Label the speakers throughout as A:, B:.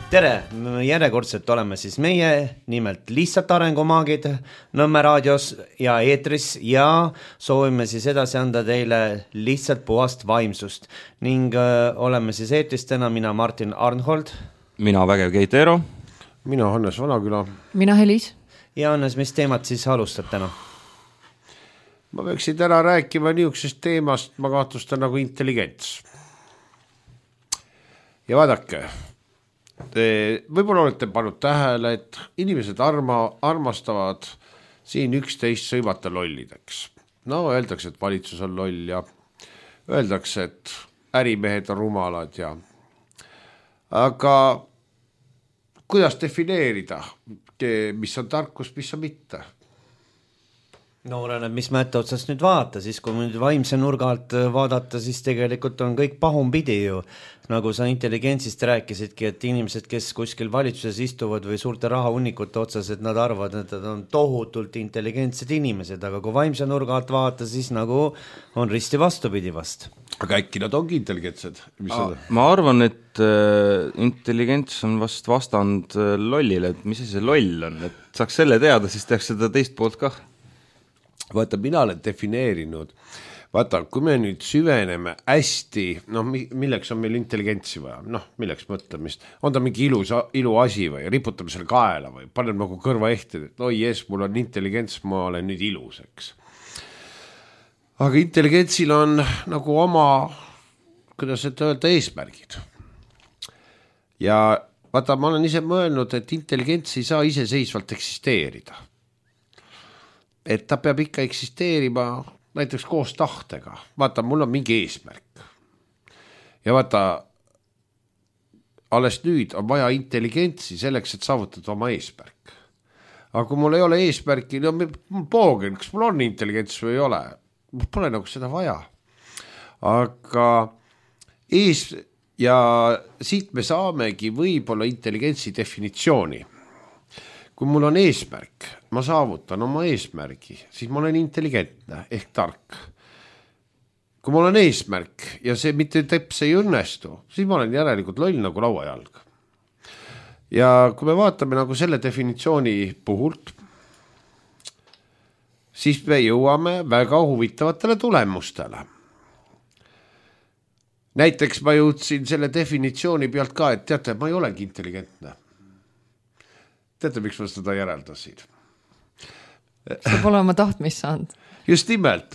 A: Tere, järjekordselt oleme siis meie, nimelt lihtsalt arengumaagid Nõmme raadios ja eetris ja soovime siis edasi anda teile lihtsalt puhast vaimsust ning oleme siis eetris täna mina Martin Arnhold,
B: mina Vägev Keitero,
C: mina Hannes Vanaküla,
D: mina Helis
A: ja Hannes, mis teemat siis alustab täna?
C: Ma peaksin täna rääkima niisugusest teemast, ma kahtlustan nagu intelligents. Ja vaadake, võib-olla olete pannud tähele, et inimesed armastavad siin üksteist sõimata lollideks. No öeldakse, et valitsus on loll ja öeldakse, et ärimehed on rumalad ja aga kuidas defineerida, mis on tarkus, mis on mitte?
A: No oleneb, mis mätte otsast nüüd vaata, siis kui nüüd vaimse nurga alt vaadata, siis tegelikult on kõik pahumpidi ju. Nagu sa intelligentsist rääkisidki, et inimesed, kes kuskil valitsuses istuvad või suurte rahahunnikute otsas, et nad arvavad, et nad on tohutult intelligentsed inimesed, aga kui vaimse nurga alt vaata, siis nagu on risti vastupidi vast.
C: Aga äkki nad ongi intelligentsed?
B: Ma arvan, et intelligents on vast vastand lollile, et mis see loll on, et saaks selle teada, siis tehaks seda teist poolt kah.
C: Vaata, mina olen defineerinud, vaata, kui me nüüd süveneme hästi, milleks on meil intelligentsi vaja, milleks mõtlemist, on ta mingi ilu asi või riputame selle kaela või panen nagu kõrva ehti, et yes, mul on intelligents, ma olen nüüd ilus, eks. Aga intelligentsil on nagu oma, kuidas öelda, eesmärgid. Ja vaata, ma olen ise mõelnud, et intelligents ei saa iseseisvalt eksisteerida. Et ta peab ikka eksisteerima näiteks koos tahtega. Vaata, mul on mingi eesmärk. Ja vaata, alles nüüd on vaja intelligentsi selleks, et saavutada oma eesmärk. Aga kui mul ei ole eesmärki, mul poogen, kas mul on intelligents või ei ole? Mul pole nagu seda vaja. Aga ja siit me saamegi võib-olla intelligentsi definitsiooni. Kui mul on eesmärk, ma saavutan oma eesmärgi, siis ma olen intelligentne ehk tark. Kui mul on eesmärk ja see mitte teps ei õnnestu, siis ma olen järelikult loll nagu lauajalg. Ja kui me vaatame nagu selle definitsiooni puhult, siis me jõuame väga huvitavatele tulemustele. Näiteks ma jõudsin selle definitsiooni pealt ka, et teate, ma ei olegi intelligentne. Teate, miks ma seda järeldasid?
D: See pole oma tahtmist saanud.
C: Just nimelt.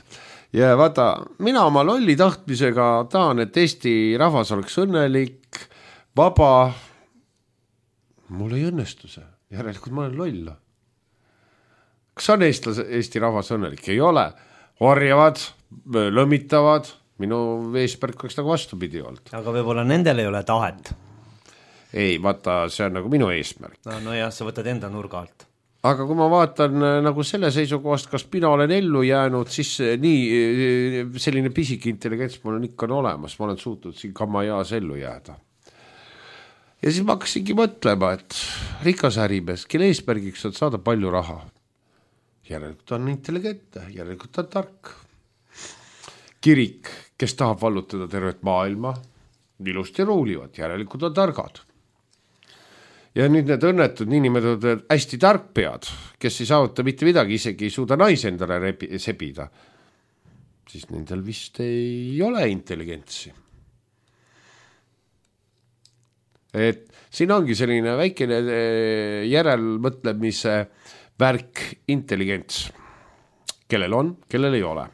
C: Ja vaata, mina oma lolli tahtmisega tahan, et Eesti rahvas oleks õnnelik, vaba. Mul ei õnnestu see. Järelikult ma olen loll. Kas on Eesti rahvas õnnelik? Ei ole. Orjavad, lõmitavad. Minu eesmärk oleks nagu vastupidi olnud.
A: Aga võib-olla nendel ei ole tahet.
C: Ei, vaata, see on nagu minu eesmärk.
A: No jah, sa võtad enda nurga alt.
C: Aga kui ma vaatan nagu selle seisukohast, kas mina olen ellu jäänud, siis nii selline pisik intelligents mul on ikka olemas, ma olen suutnud siin kamajaas ellu jääda. Ja siis ma hakkasingi mõtlema, et rikas ärimees, kelle eesmärgiks on saada palju raha. Järelikult on intelligentne, järelikult on tark. Kirik, kes tahab vallutada tervet maailma, ilusti ruulivad, järelikult on targad. Ja nüüd need õnnetud niinimetatud hästi tarkpead, kes ei saavuta mitte midagi, isegi ei suuda naise endale sebida, siis nendel vist ei ole intelligentsi. Et siin ongi selline väikene järelmõtlemise värk intelligents. Kellel on, kellel ei ole.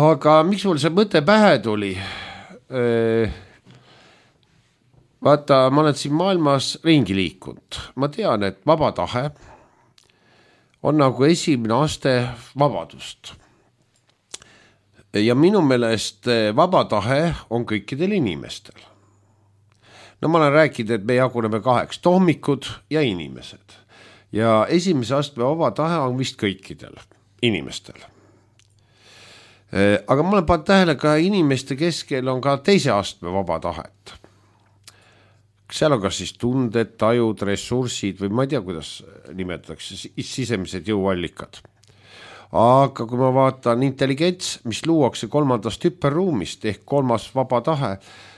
C: Aga miks mul see mõte pähe tuli? Vaata, ma olen siin maailmas ringi liikunud. Ma tean, et vaba tahe on nagu esimene aste vabadust. Ja minu meelest vaba tahe on kõikidel inimestel. No ma olen rääkinud, et me jaguneme 2, tohmikud ja inimesed. Ja esimese astme vaba tahe on vist kõikidel inimestel. Aga ma olen pannud tähele ka inimeste keskel on ka teise astme vaba tahet. Seal on kas siis tunded, tajud, ressursid või ma ei tea, kuidas nimetatakse, sisemised jõuallikad. Aga kui ma vaatan intelligents, mis luuakse 3. hüperruumist ehk 3. vaba tahe,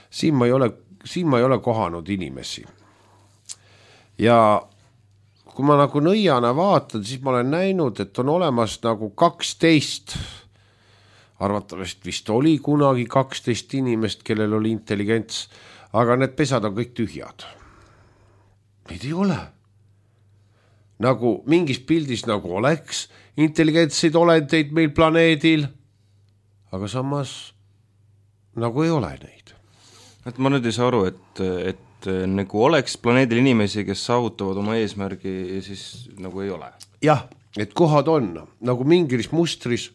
C: siin ma ei ole siin ma ei ole kohanud inimesi. Ja kui ma nagu nõiana vaatan, siis ma olen näinud, et on olemas nagu 12, arvatavasti vist oli kunagi 12 inimest, kellel oli intelligents, aga need pesad on kõik tühjad. Neid ei ole. Nagu mingis pildis nagu oleks intelligentseid olendeid meil planeedil, aga samas nagu ei ole neid.
B: Et ma nüüd ei saa aru, et nagu oleks planeedil inimesi, kes saavutavad oma eesmärgi ja siis nagu ei ole.
C: Jah, et kohad on nagu mingis mustris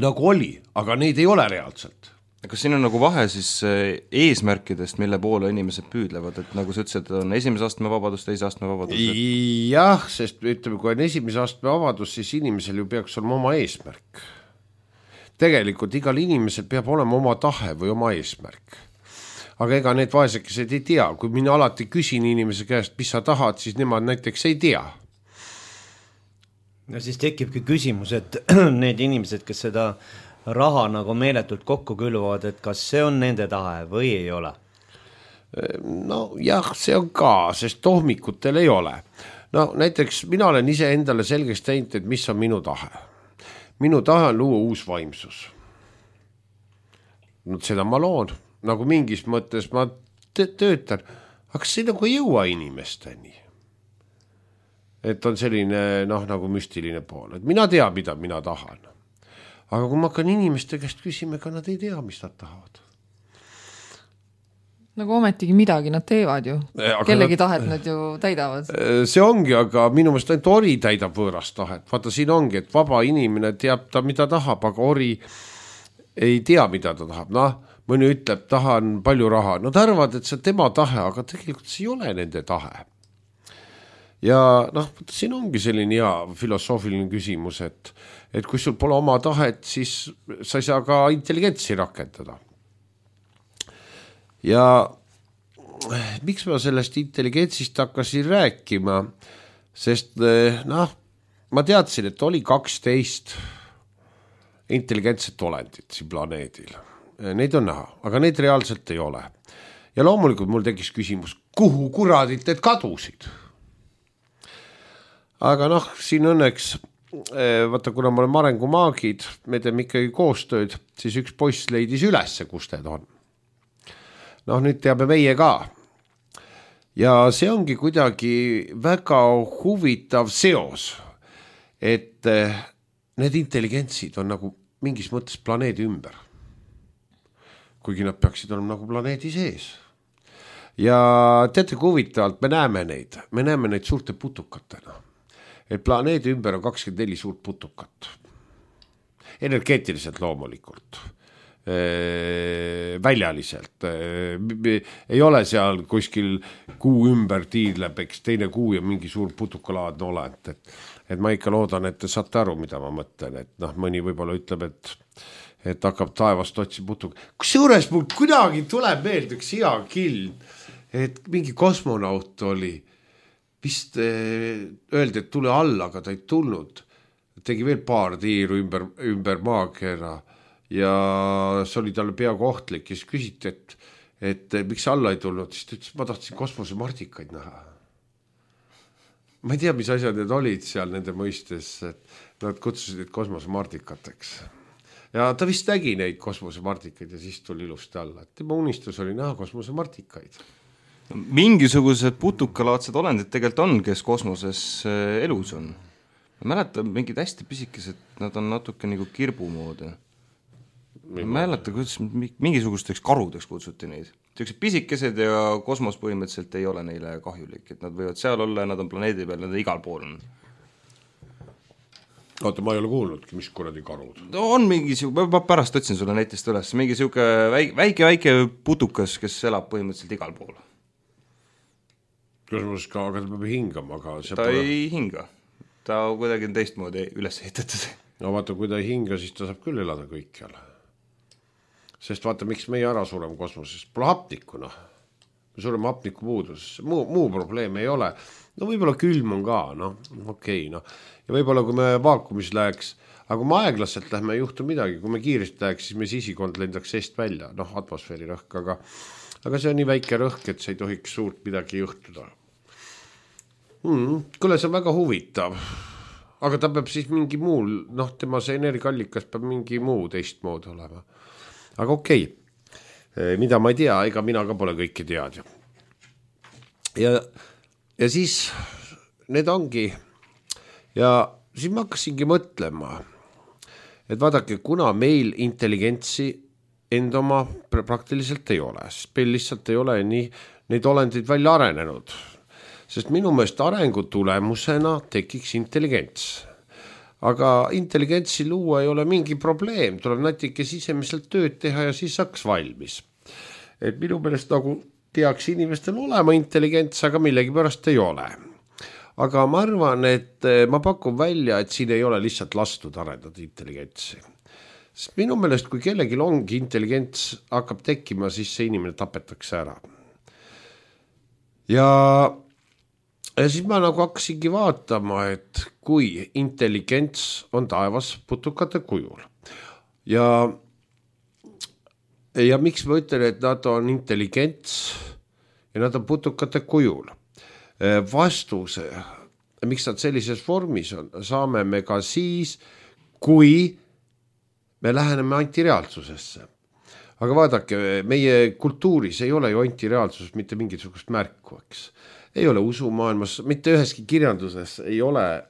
C: nagu oli, aga neid ei ole reaalselt.
B: Kas siin on nagu vahe siis eesmärkidest, mille poole inimesed püüdlevad, et nagu sa ütlesid, on esimese astme vabadus, teise astme vabadus?
C: Jah, sest ütleme, kui on esimese astme vabadus, siis inimesel ju peaks olema oma eesmärk. Tegelikult igal inimesel peab olema oma tahe või oma eesmärk. Aga ega need vaesekesed ei tea. Kui mina alati küsin inimese käest, mis sa tahad, siis nemad näiteks ei tea.
A: No siis tekibki küsimus, et need inimesed, kes seda raha nagu meeletult kokku külvavad, et kas see on nende tahe või ei ole?
C: No jah, see on ka, sest tohmikutel ei ole. No näiteks mina olen ise endale selgeks teinud, et mis on minu tahe. Minu tahe on luua uus vaimsus. No seda ma loon, nagu mingis mõttes ma töötan, aga see nagu ei jõua inimesteni. Et on selline nagu müstiline pool, et mina tean, mida mina tahan. Aga kui ma hakkan inimeste käest küsima, ega nad ei tea, mis nad tahavad.
D: Nagu ometigi midagi nad teevad ju. Kellegi tahet nad ju täidavad.
C: See ongi, aga minu meelest ainult ori täidab võõrast tahet. Vaata, siin ongi, et vaba inimene teab ta, mida tahab, aga ori ei tea, mida ta tahab. Mõni ütleb, tahan palju raha. Nad arvavad, et see on tema tahe, aga tegelikult see ei ole nende tahe. Ja siin ongi selline hea filosoofiline küsimus, et kui sul pole oma tahet, siis sa ei saa ka intelligentsi rakendada. Ja miks ma sellest intelligentsist hakkasin rääkima, sest ma teadsin, et oli 12 intelligentset olendit siin planeedil. Neid on näha, aga neid reaalselt ei ole. Ja loomulikult mul tekkis küsimus, kuhu kuradit need kadusid? Aga siin õnneks, vaata, kuna me oleme arengumaagid, me teeme ikkagi koostööd, siis üks poiss leidis ülesse, kus need on. Nüüd teame meie ka. Ja see ongi kuidagi väga huvitav seos, et need intelligentsid on nagu mingis mõttes planeedi ümber. Kuigi nad peaksid olema nagu planeedi sees. Ja teate, kui huvitavalt me näeme neid suurte putukatena. Et planeedi ümber on 24 suurt putukat. Energeetiliselt loomulikult. Väljaliselt. Ei ole seal kuskil kuu ümber tiirleb, eks teine kuu ja mingi suur putukalaadne olend. Et ma ikka loodan, et te saate aru, mida ma mõtlen. Et mõni võib-olla ütleb, et hakkab taevast otsi putuk. Kusjuures mul kuidagi tuleb meelde üks hea kild, et mingi kosmonaut oli. Vist öeldi, et tule alla, aga ta ei tulnud. Tegi veel paar tiiru ümber maakera ja see oli talle peaaegu ohtlik. Ja siis küsiti, et miks alla ei tulnud, siis ta ütles, ma tahtsin kosmosemartikaid näha. Ma ei tea, mis asjad need olid seal nende mõistes, et nad kutsusid neid kosmosemartikateks. Ja ta vist nägi neid kosmosemartikaid ja siis tuli ilusti alla. Tema unistus oli näha kosmosemartikaid.
B: Mingisugused putukalaadsed olendid tegelikult on, kes kosmoses elus on. Ma mäletan mingid hästi pisikesed, nad on natuke nagu kirbu moodi. Ma mäletan, kuidas mingisugusteks karudeks kutsuti neid. Sellised pisikesed ja kosmos põhimõtteliselt ei ole neile kahjulik, et nad võivad seal olla ja nad on planeedi peal, nad igal pool on.
C: Oota, ma ei ole kuulnudki, mis kuradi karud.
B: On mingi, ma pärast otsin sulle netist üles, mingi siuke väike putukas, kes elab põhimõtteliselt igal pool.
C: Kosmoses ka, aga ta peab hingama.
B: Ta ei hinga. Ta kuidagi on teistmoodi üles ehitatud.
C: No vaata, kui ta ei hinga, siis ta saab küll elada kõikjal. Sest vaata, miks meie ära sureme kosmoses. Pole hapnikku, Me sureme hapniku puudus. Muu probleem ei ole. No võib-olla külm on ka, okei. Ja võib-olla, kui me vaakumis läheks, aga kui me aeglaselt lähme, ei juhtu midagi. Kui me kiiresti läheks, siis me sisikond lendaks seest välja, atmosfääri rõhk, aga see on nii väike rõhk, et see ei tohiks suurt midagi juhtuda. Kuule, see on väga huvitav. Aga ta peab siis mingi muul, tema see energiaallikas peab mingi muu teistmoodi olema. Aga okei. Mida ma ei tea, ega mina ka pole kõike tead. Ja siis need ongi. Ja siis ma hakkasingi mõtlema, et vaadake, kuna meil intelligentsi enda oma praktiliselt ei ole, sest meil lihtsalt ei ole nii neid olendid välja arenenud. Sest minu meelest arengu tulemusena tekiks intelligents. Aga intelligentsi luua ei ole mingi probleem, tuleb natuke sisemiselt tööd teha ja siis saaks valmis. Et minu meelest nagu peaks inimestel olema intelligents, aga millegi pärast ei ole. Aga ma arvan, et ma pakun välja, et siin ei ole lihtsalt lastud arendada intelligentsi. Sest minu meelest, kui kellelgi ongi intelligents hakkab tekkima, siis see inimene tapetakse ära. Ja siis ma nagu hakkasingi vaatama, et kui intelligents on taevas putukate kujul. Ja miks ma ütlen, et nad on intelligents ja nad on putukate kujul? Vastuse, miks nad sellises vormis on, saame me ka siis, kui me läheneme antireaalsusesse. Aga vaadake, meie kultuuris ei ole ju antireaalsus mitte mingisugust märku, eks. Ei ole usumaailmas, mitte üheski kirjanduses ei ole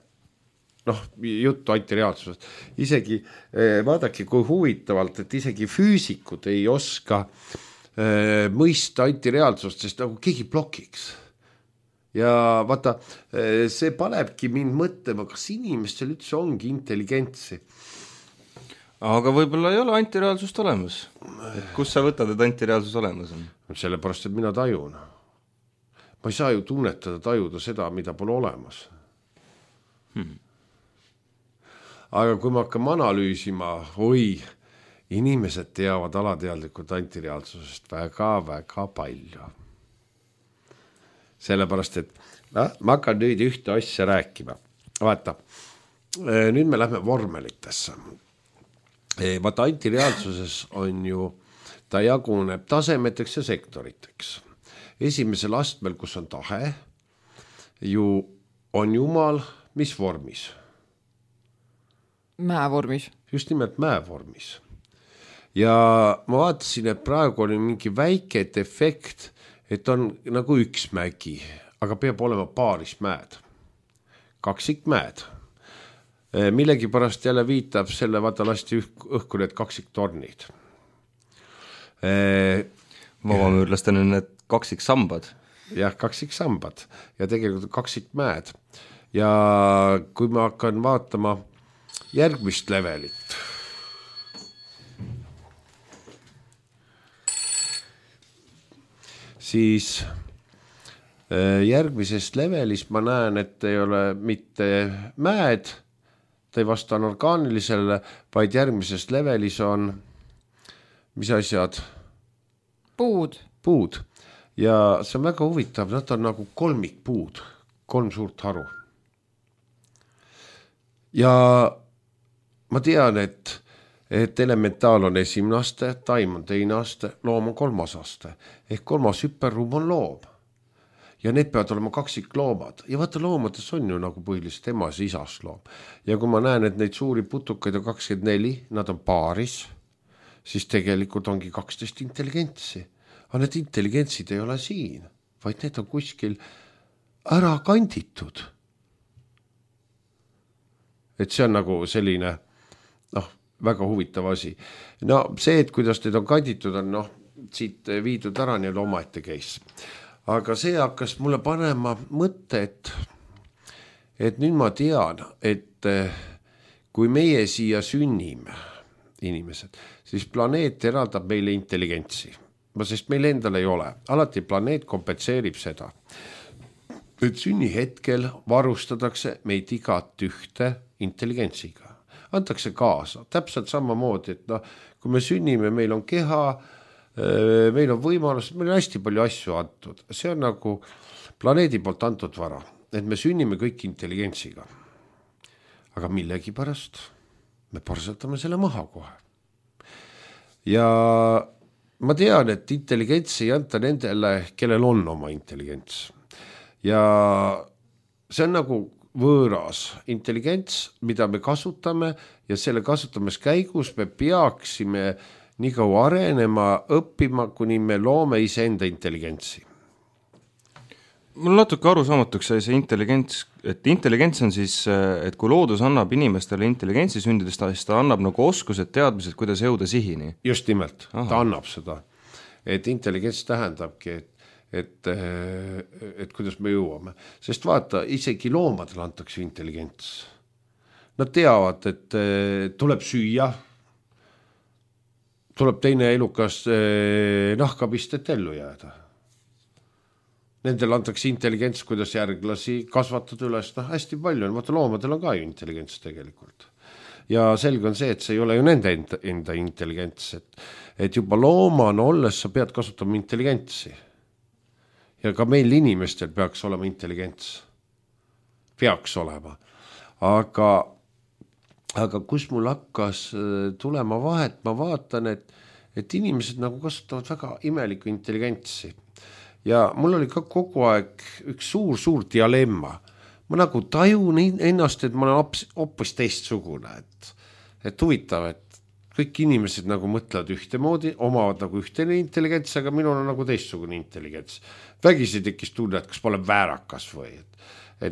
C: juttu antireaalsusest. Isegi vaadake, kui huvitavalt, et isegi füüsikud ei oska mõista antireaalsust, sest nagu keegi blokiks. Ja vaata, see panebki mind mõtlema, kas inimestel üldse ongi intelligentsi.
B: Aga võib-olla ei ole antireaalsust olemas. Et kus sa võtad, et antireaalsus olemas on?
C: Sellepärast, et mina tajun. Ma ei saa ju tunnetada, tajuda seda, mida pole olemas. Aga kui ma hakkam analüüsima, inimesed teavad alateadlikult antireaalsusest väga palju. Sellepärast, et ma hakkan nüüd ühte asja rääkima. Vaata, nüüd me lähme vormelitesse. Vaata, antireaalsuses on ju, ta jaguneb tasemeteks ja sektoriteks. Esimesel astmel, kus on tahe, ju on Jumal, mis vormis?
D: Mäevormis.
C: Just nimelt mäevormis. Ja ma vaatasin, et praegu oli mingi väike defekt, et on nagu üks mägi, aga peab olema paaris mäed. Kaksikmäed. Millegi pärast jälle viitab selle vaata lasti õhku need kaksiktornid.
B: Vabamüürlastel on need kaksiksambad.
C: Jah, kaksiksambad ja tegelikult kaksikmäed. Ja kui ma hakkan vaatama järgmist levelit, siis järgmisest levelis ma näen, et ei ole mitte mäed, ta ei vasta orgaanilisele, vaid järgmises levelis on, mis asjad? Puud. Ja see on väga huvitav, nad on nagu kolmikpuud, 3 suurt haru. Ja ma tean, et elementaal on esimene aste, taim on teine aste, loom on 3. aste. Ehk 3. hüperruum on loom. Ja need peavad olema kaksikloomad. Ja vaata, loomades on ju nagu põhiliselt emas ja isas loom. Ja kui ma näen, et neid suuri putukaid on 24, nad on paaris, siis tegelikult ongi 12 intelligentsi. Aga need intelligentsid ei ole siin, vaid need on kuskil ära kanditud. Et see on nagu selline, väga huvitav asi. No see, et kuidas need on kanditud, on siit viidud ära nii omaette case. Aga see hakkas mulle panema mõtte, et nüüd ma tean, et kui meie siia sünnime, inimesed, siis planeet eraldab meile intelligentsi. Sest meil endal ei ole. Alati planeet kompenseerib seda. Et sünni hetkel varustatakse meid igat ühte intelligentsiga. Antakse kaasa. Täpselt samamoodi, et kui me sünnime, meil on keha, meil on võimalus, meil on hästi palju asju antud. See on nagu planeedi poolt antud vara, et me sünnime kõik intelligentsiga. Aga millegi pärast me parsetame selle maha kohe. Ja ma tean, et intelligents ei anta nendele, kellel on oma intelligents. Ja see on nagu võõras intelligents, mida me kasutame ja selle kasutamise käigus me peaksime nii kaua arenema, õppima, kuni me loome iseenda intelligentsi.
B: Mul natuke arusaamatuks sai see intelligents, et intelligents on siis, et kui loodus annab inimestele intelligentsi sündidest, siis ta annab nagu oskused, teadmised, kuidas jõuda sihini.
C: Just nimelt, ta annab seda. Et intelligents tähendabki, et kuidas me jõuame. Sest vaata, isegi loomadele antakse intelligents. Nad teavad, et tuleb süüa, tuleb teine elukas nahkapist, et ellu jääda. Nendel antakse intelligents, kuidas järglasi kasvatada üles, hästi palju on, vaata loomadel on ka ju intelligents tegelikult. Ja selge on see, et see ei ole ju nende enda intelligents, et juba loomana olles sa pead kasutama intelligentsi. Ja ka meil inimestel peaks olema intelligents. Peaks olema. Aga kus mul hakkas tulema vahet, ma vaatan, et inimesed nagu kasutavad väga imelikku intelligentsi. Ja mul oli ka kogu aeg üks suur dilemma. Ma nagu tajun ennast, et ma olen hoopis teistsugune. Et huvitav, et kõik inimesed nagu mõtlevad ühtemoodi, omavad nagu ühtene intelligents, aga minul on nagu teistsugune intelligents. Vägisi tekkis tunne, et kas ma olen väärakas või. Et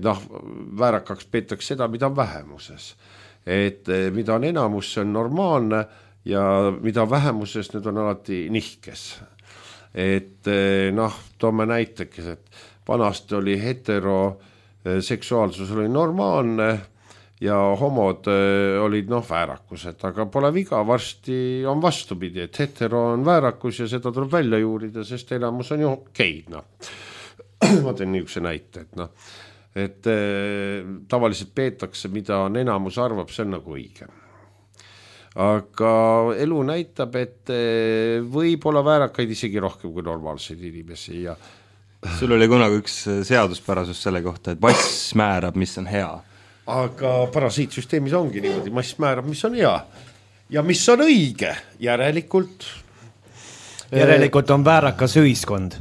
C: väärakaks peetakse seda, mida on vähemuses. Et mida on enamus, see on normaalne ja mida vähemuses, need on alati nihkes. Et toome näiteks, et vanasti oli heteroseksuaalsus oli normaalne ja homod olid väärakused, aga pole viga, varsti on vastupidi, et hetero on väärakus ja seda tuleb välja juurida, sest enamus on ju geid. Ma teen niisuguse näite, et tavaliselt peetakse, mida on enamus arvab, see on nagu õige. Aga elu näitab, et võib olla väärakaid isegi rohkem kui normaalseid inimesi ja
B: sul oli kunagi üks seaduspärasus selle kohta, et mass määrab, mis on hea.
C: Aga parasiitsüsteemis ongi niimoodi, mass määrab, mis on hea ja mis on õige. Järelikult
A: on väärakas ühiskond.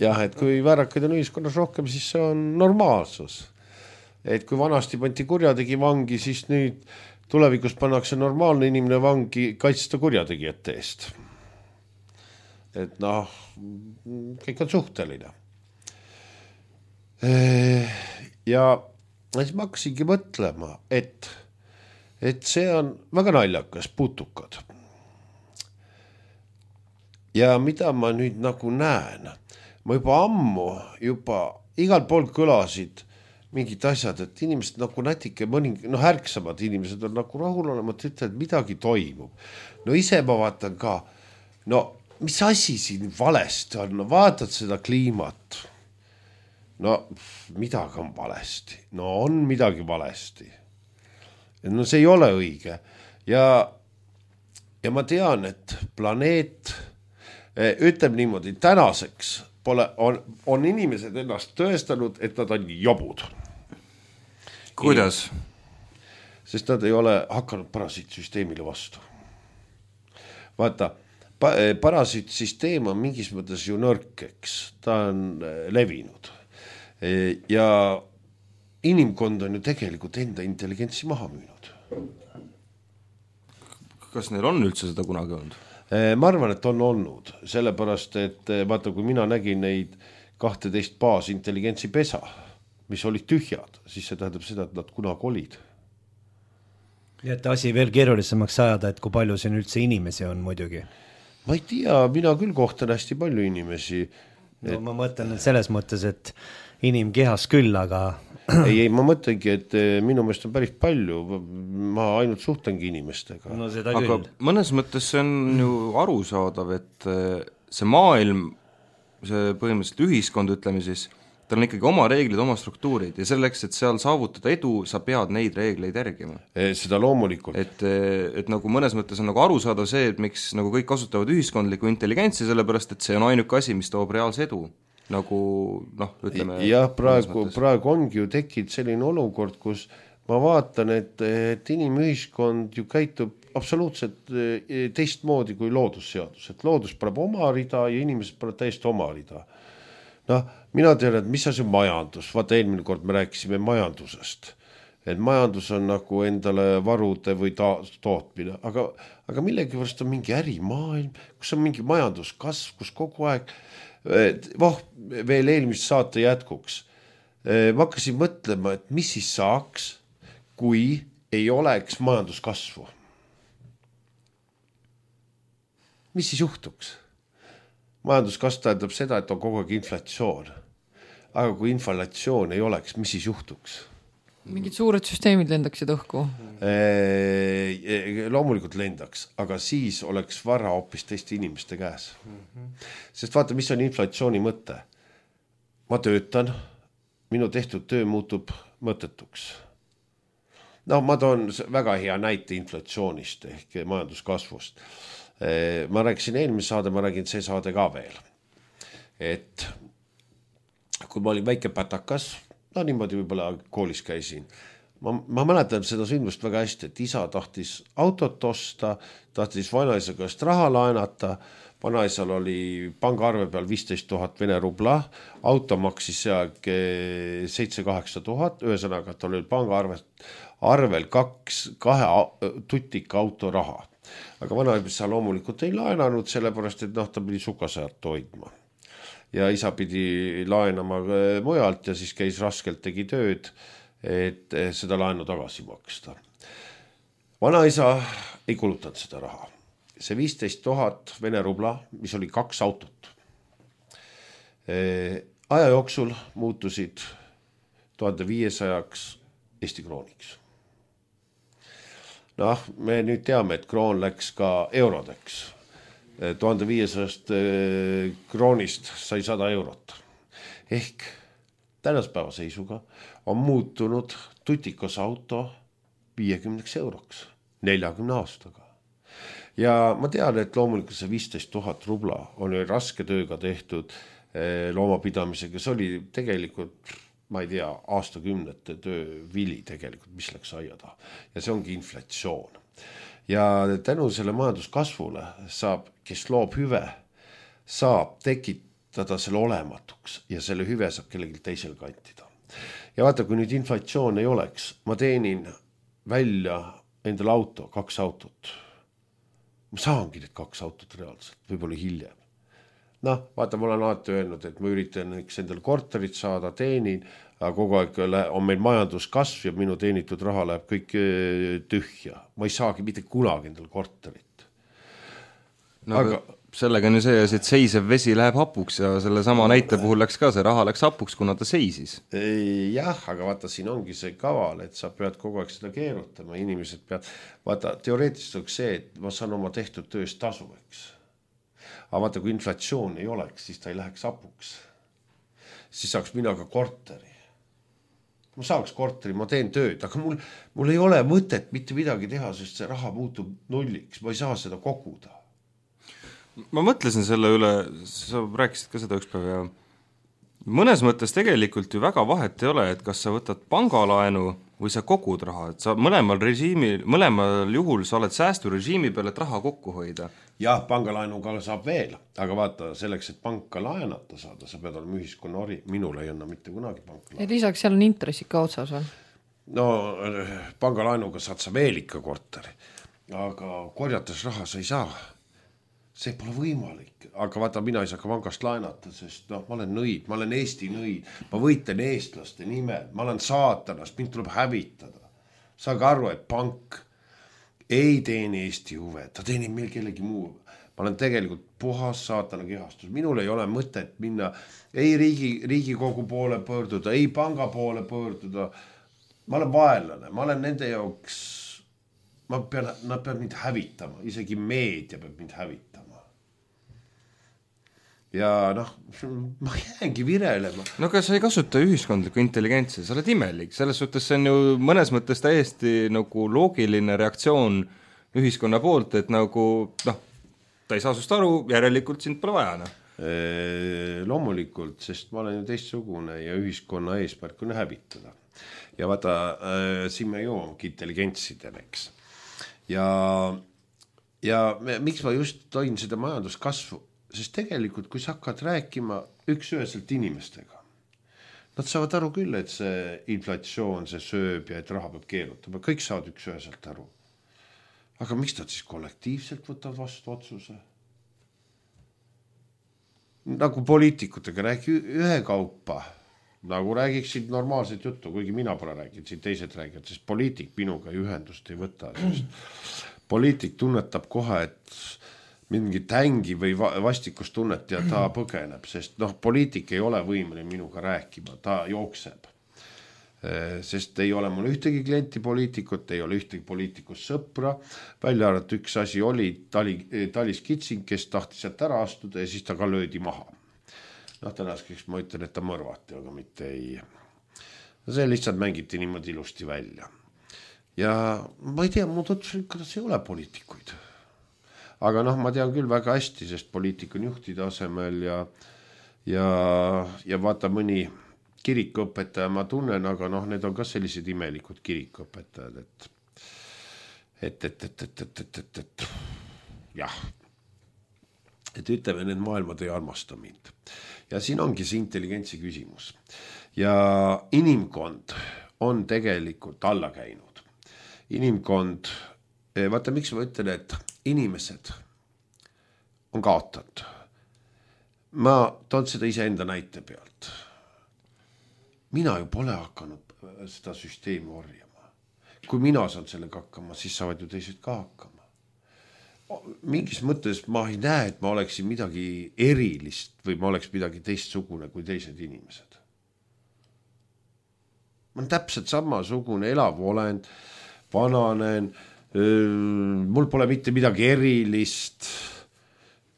C: Jah, et kui väärakaid on ühiskonnas rohkem, siis see on normaalsus. Et kui vanasti pandi kurjategi vangi, siis nüüd tulevikus pannakse normaalne inimene vangi kaitsta kurjategijate eest. Et kõik on suhteline. Ja siis ma hakkasingi mõtlema, et see on väga naljakas, putukad. Ja mida ma nüüd nagu näen, ma juba ammu, igal pool kõlasid mingid asjad, et inimesed nagu natuke ärksamad inimesed on nagu rahulolemat, ütlevad, midagi toimub. Ise ma vaatan ka, mis asi siin valesti on, vaatad seda kliimat. Midagi on valesti. On midagi valesti. See ei ole õige. Ja ma tean, et planeet ütleb niimoodi, tänaseks on inimesed ennast tõestanud, et nad on jobud.
B: Kuidas?
C: Sest nad ei ole hakanud parasiitsüsteemile vastu. Vaata, parasiitsüsteem on mingis mõttes ju nõrkeks, ta on levinud. Ja inimkond on ju tegelikult enda intelligentsi maha müünud.
B: Kas neil on üldse seda kunagi olnud?
C: Ma arvan, et on olnud, sellepärast, et vaata, kui mina nägin neid 12 baasintelligentsi pesa, mis olid tühjad, siis see tähendab seda, et nad kunagi olid.
A: Ja et asi veel keerulisemaks ajada, et kui palju siin üldse inimesi on muidugi?
C: Ma ei tea, mina küll kohtan hästi palju inimesi.
A: Ma mõtlen selles mõttes, et inimkehas küll, aga...
C: Ei, ma mõtlengi, et minu meelest on päris palju, ma ainult suhtlengi inimestega.
B: Aga mõnes mõttes see on ju arusaadav, et see maailm, see põhimõtteliselt ühiskond, ütleme siis, tal on ikkagi oma reeglid, oma struktuurid ja selleks, et seal saavutada edu, sa pead neid reegleid järgima.
C: Seda loomulikult.
B: Et nagu mõnes mõttes on nagu arusaadav see, et miks nagu kõik kasutavad ühiskondlikku intelligentsi, sellepärast, et see on ainuke asi, mis toob reaalse edu. Nagu, ütleme...
C: Jah, praegu ongi ju tekkinud selline olukord, kus ma vaatan, et inimühiskond ju käitub absoluutselt teistmoodi kui loodusseadus, et loodus paneb oma rida ja inimesed paneb täiesti oma rida. Noh, mina tean, et mis asi on majandus, vaata eelmine kord me rääkisime majandusest, et majandus on nagu endale varude või tootmine, aga millegipärast on mingi ärimaailm, kus on mingi majanduskasv, kus kogu aeg, veel eelmist saate jätkuks, ma hakkasin mõtlema, et mis siis saaks, kui ei oleks majanduskasvu. Mis siis juhtuks? Majanduskasv tähendab seda, et on kogu aeg inflatsioon. Aga kui inflatsioon ei oleks, mis siis juhtuks?
D: Mingid suured süsteemid lendaksid õhku?
C: Loomulikult lendaks, aga siis oleks vara hoopis teiste inimeste käes. Sest vaata, mis on inflatsiooni mõte. Ma töötan, minu tehtud töö muutub mõttetuks. No ma toon väga hea näite inflatsioonist ehk majanduskasvust. Ma rääkisin eelmise saade, ma räägin see saade ka veel. Et kui ma olin väike pätakas, no niimoodi võib-olla koolis käisin, ma mäletan seda sündmust väga hästi, et isa tahtis autot osta, tahtis vanaisa käest raha laenata, vanaisal oli pangaarve peal 15 000 Vene rubla, auto maksis seal 7-8 000, ühesõnaga, et oli pangaarvel kahe tutika auto raha. Aga vanaisa loomulikult ei laenanud, sellepärast, et ta pidi sukasajat hoidma. Ja isa pidi laenama mujalt ja siis käis raskelt, tegi tööd, et seda laenu tagasi maksta. Vanaisa ei kulutanud seda raha. See 15 000 Vene rubla, mis oli 2 autot. Aja jooksul muutusid 1500 Eesti krooniks. Noh, me nüüd teame, et kroon läks ka eurodeks. 1500 kroonist sai 100 eurot. Ehk tänaspäeva seisuga on muutunud tutikas auto 50 euroks 40 aastaga. Ja ma tean, et loomulikult see 15 000 rubla on ju raske tööga tehtud loomapidamisega. See oli tegelikult, ma ei tea, aastakümnete töö vili tegelikult, mis läks aia taha. Ja see ongi inflatsioon. Ja tänu selle majanduskasvule saab, kes loob hüve, saab tekitada selle olematuks ja selle hüve saab kellelgi teisel kantida. Ja vaata, kui nüüd inflatsioon ei oleks, ma teenin välja endale auto, 2 autot. Ma saangi need 2 autot reaalselt, võib-olla hiljem. Noh, vaata, mul on alati öelnud, et ma üritan endale korterit saada, teenin, aga kogu aeg on meil majanduskasv ja minu teenitud raha läheb kõik tühja. Ma ei saagi mitte kunagi endale korterit.
B: No, aga sellega on ju see, et seisev vesi läheb hapuks ja selle sama näite puhul läks ka, see raha läks hapuks, kuna ta seisis.
C: Jah, aga vaata, siin ongi see kaval, et sa pead kogu aeg seda keerutama, inimesed pead, vaata, teoreetiliselt on see, et ma saan oma tehtud tööst tasu, eks. Aga vaata, kui inflatsioon ei oleks, siis ta ei läheks hapuks. Siis saaks mina ka korteri. Ma saaks korteri, ma teen tööd, aga mul ei ole mõtet mitte midagi teha, sest see raha muutub nulliks, ma ei saa seda koguda.
B: Ma mõtlesin selle üle, sa rääkisid ka seda üks päev ja mõnes mõttes tegelikult ju väga vahet ei ole, et kas sa võtad pangalaenu või sa kogud raha, et sa mõlemal juhul sa oled säästurežiimi peal, et raha kokku hoida.
C: Jah, pangalaenuga saab veel, aga vaata selleks, et panka laenata saada, sa pead olema ühiskonna ori, minul ei anna mitte kunagi panka laenu.
D: Ja lisaks seal on intressid ka otsas veel?
C: No pangalaenuga saad sa veel ikka korteri, aga korjates raha sa ei saa. See pole võimalik, aga vaata, mina ei saa ka pangast laenata, sest ma olen nõid, ma olen Eesti nõid, ma võitlen eestlaste nimel, ma olen saatanast, mind tuleb hävitada. Saage aru, et pank ei teeni Eesti huve, ta teenib meil kellegi muu. Ma olen tegelikult puhas saatana kehastus. Minul ei ole mõtet minna ei Riigikogu poole pöörduda, ei panga poole pöörduda. Ma olen vaenlane, ma olen nende jaoks, nad peavad mind hävitama, isegi meedia peab mind hävitama. Ja ma jäängi virelema.
B: No aga sa ei kasuta ühiskondlikku intelligentsi, sa oled imelik. Selles suhtes see on ju mõnes mõttes täiesti nagu loogiline reaktsioon ühiskonna poolt, et nagu, ta ei saa sust aru, järelikult sind pole vaja.
C: Loomulikult, sest ma olen ju teistsugune ja ühiskonna eesmärk on hävitada. Ja vaata, siin me jõuamegi intelligentsidele, eks. ja miks ma just toin seda majanduskasvu, sest tegelikult kui sa hakkad rääkima üks-üheselt inimestega, nad saavad aru küll, et see inflatsioon, see sööb ja et raha peab keerutama, kõik saavad üks-üheselt aru. Aga miks nad siis kollektiivselt võtavad vastu otsuse? Nagu poliitikutega räägi ühe kaupa, nagu räägiksid normaalset juttu, kuigi mina pole rääginud, siin teised räägivad, sest poliitik minuga ühendust ei võta. Poliitik tunnetab kohe, et mingi tängi või vastikustunnet ja ta põgeneb, sest poliitik ei ole võimeline minuga rääkima, ta jookseb. Sest ei ole mul ühtegi klienti poliitikut, ei ole ühtegi poliitikust sõpra, välja arvatud üks asi oli Talis Kitsing, kes tahtis sealt ära astuda ja siis ta ka löödi maha. Tänaseks ma ütlen, et ta mõrvati, aga mitte ei. See lihtsalt mängiti niimoodi ilusti välja. Ja ma ei tea, mu tutvusin, kuidas ei ole poliitikuid. Aga ma tean küll väga hästi, sest poliitik on juhtide asemel ja vaata mõni kirikuõpetaja ma tunnen, aga need on ka sellised imelikud kirikuõpetajad, et jah, et ütleme, need maailmad ei armasta mind. Ja siin ongi see intelligentsi küsimus. Ja inimkond on tegelikult alla käinud. Inimkond, vaata miks ma ütlen, et inimesed on kaotanud. Ma toon seda iseenda näite pealt. Mina ju pole hakanud seda süsteemi orjama. Kui mina saan sellega hakkama, siis saavad ju teised ka hakkama. Mingis mõttes ma ei näe, et ma oleksin midagi erilist või ma oleks midagi teistsugune kui teised inimesed. Ma olen täpselt samasugune elav olend, vananen, mul pole mitte midagi erilist,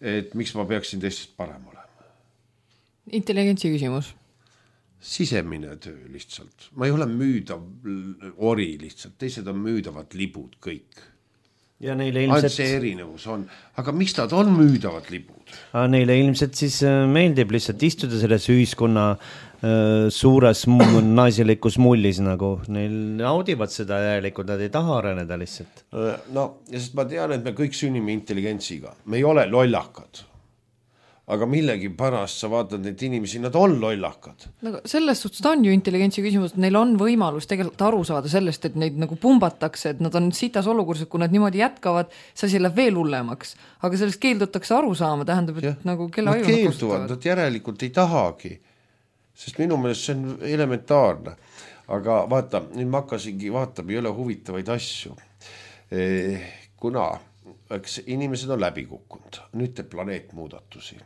C: et miks ma peaksin teistest parem olema.
D: Intelligentsi küsimus.
C: Sisemine töö lihtsalt. Ma ei ole müüdav ori lihtsalt, teised on müüdavad libud kõik.
A: Ja neile ilmselt...
C: see erinevus on, aga miks nad on müüdavad libud?
A: Neile ilmselt siis meeldib lihtsalt istuda selles ühiskonna suures naiselikus mullis, nagu neil naudivad seda järelikult, nad ei taha areneda lihtsalt.
C: Ja sest ma tean, et me kõik sünnime intelligentsiga, me ei ole lollakad. Aga millegi pärast sa vaatad neid inimesi, nad on lollakad.
D: Selles suhtes ta on ju intelligentsi küsimus, et neil on võimalus tegelikult aru saada sellest, et neid nagu pumbatakse, et nad on sitas olukorras, kui nad niimoodi jätkavad, see asi läheb veel hullemaks. Aga sellest keeldutakse aru saama, tähendab, et nagu kelle aju
C: nad keelduvad, nad järelikult ei tahagi, sest minu meelest see on elementaarne. Aga vaata, nüüd ma hakkasingi vaatama, ei ole huvitavaid asju. Kuna inimesed on läbi kukkunud, nüüd teeb planeet muudatusi.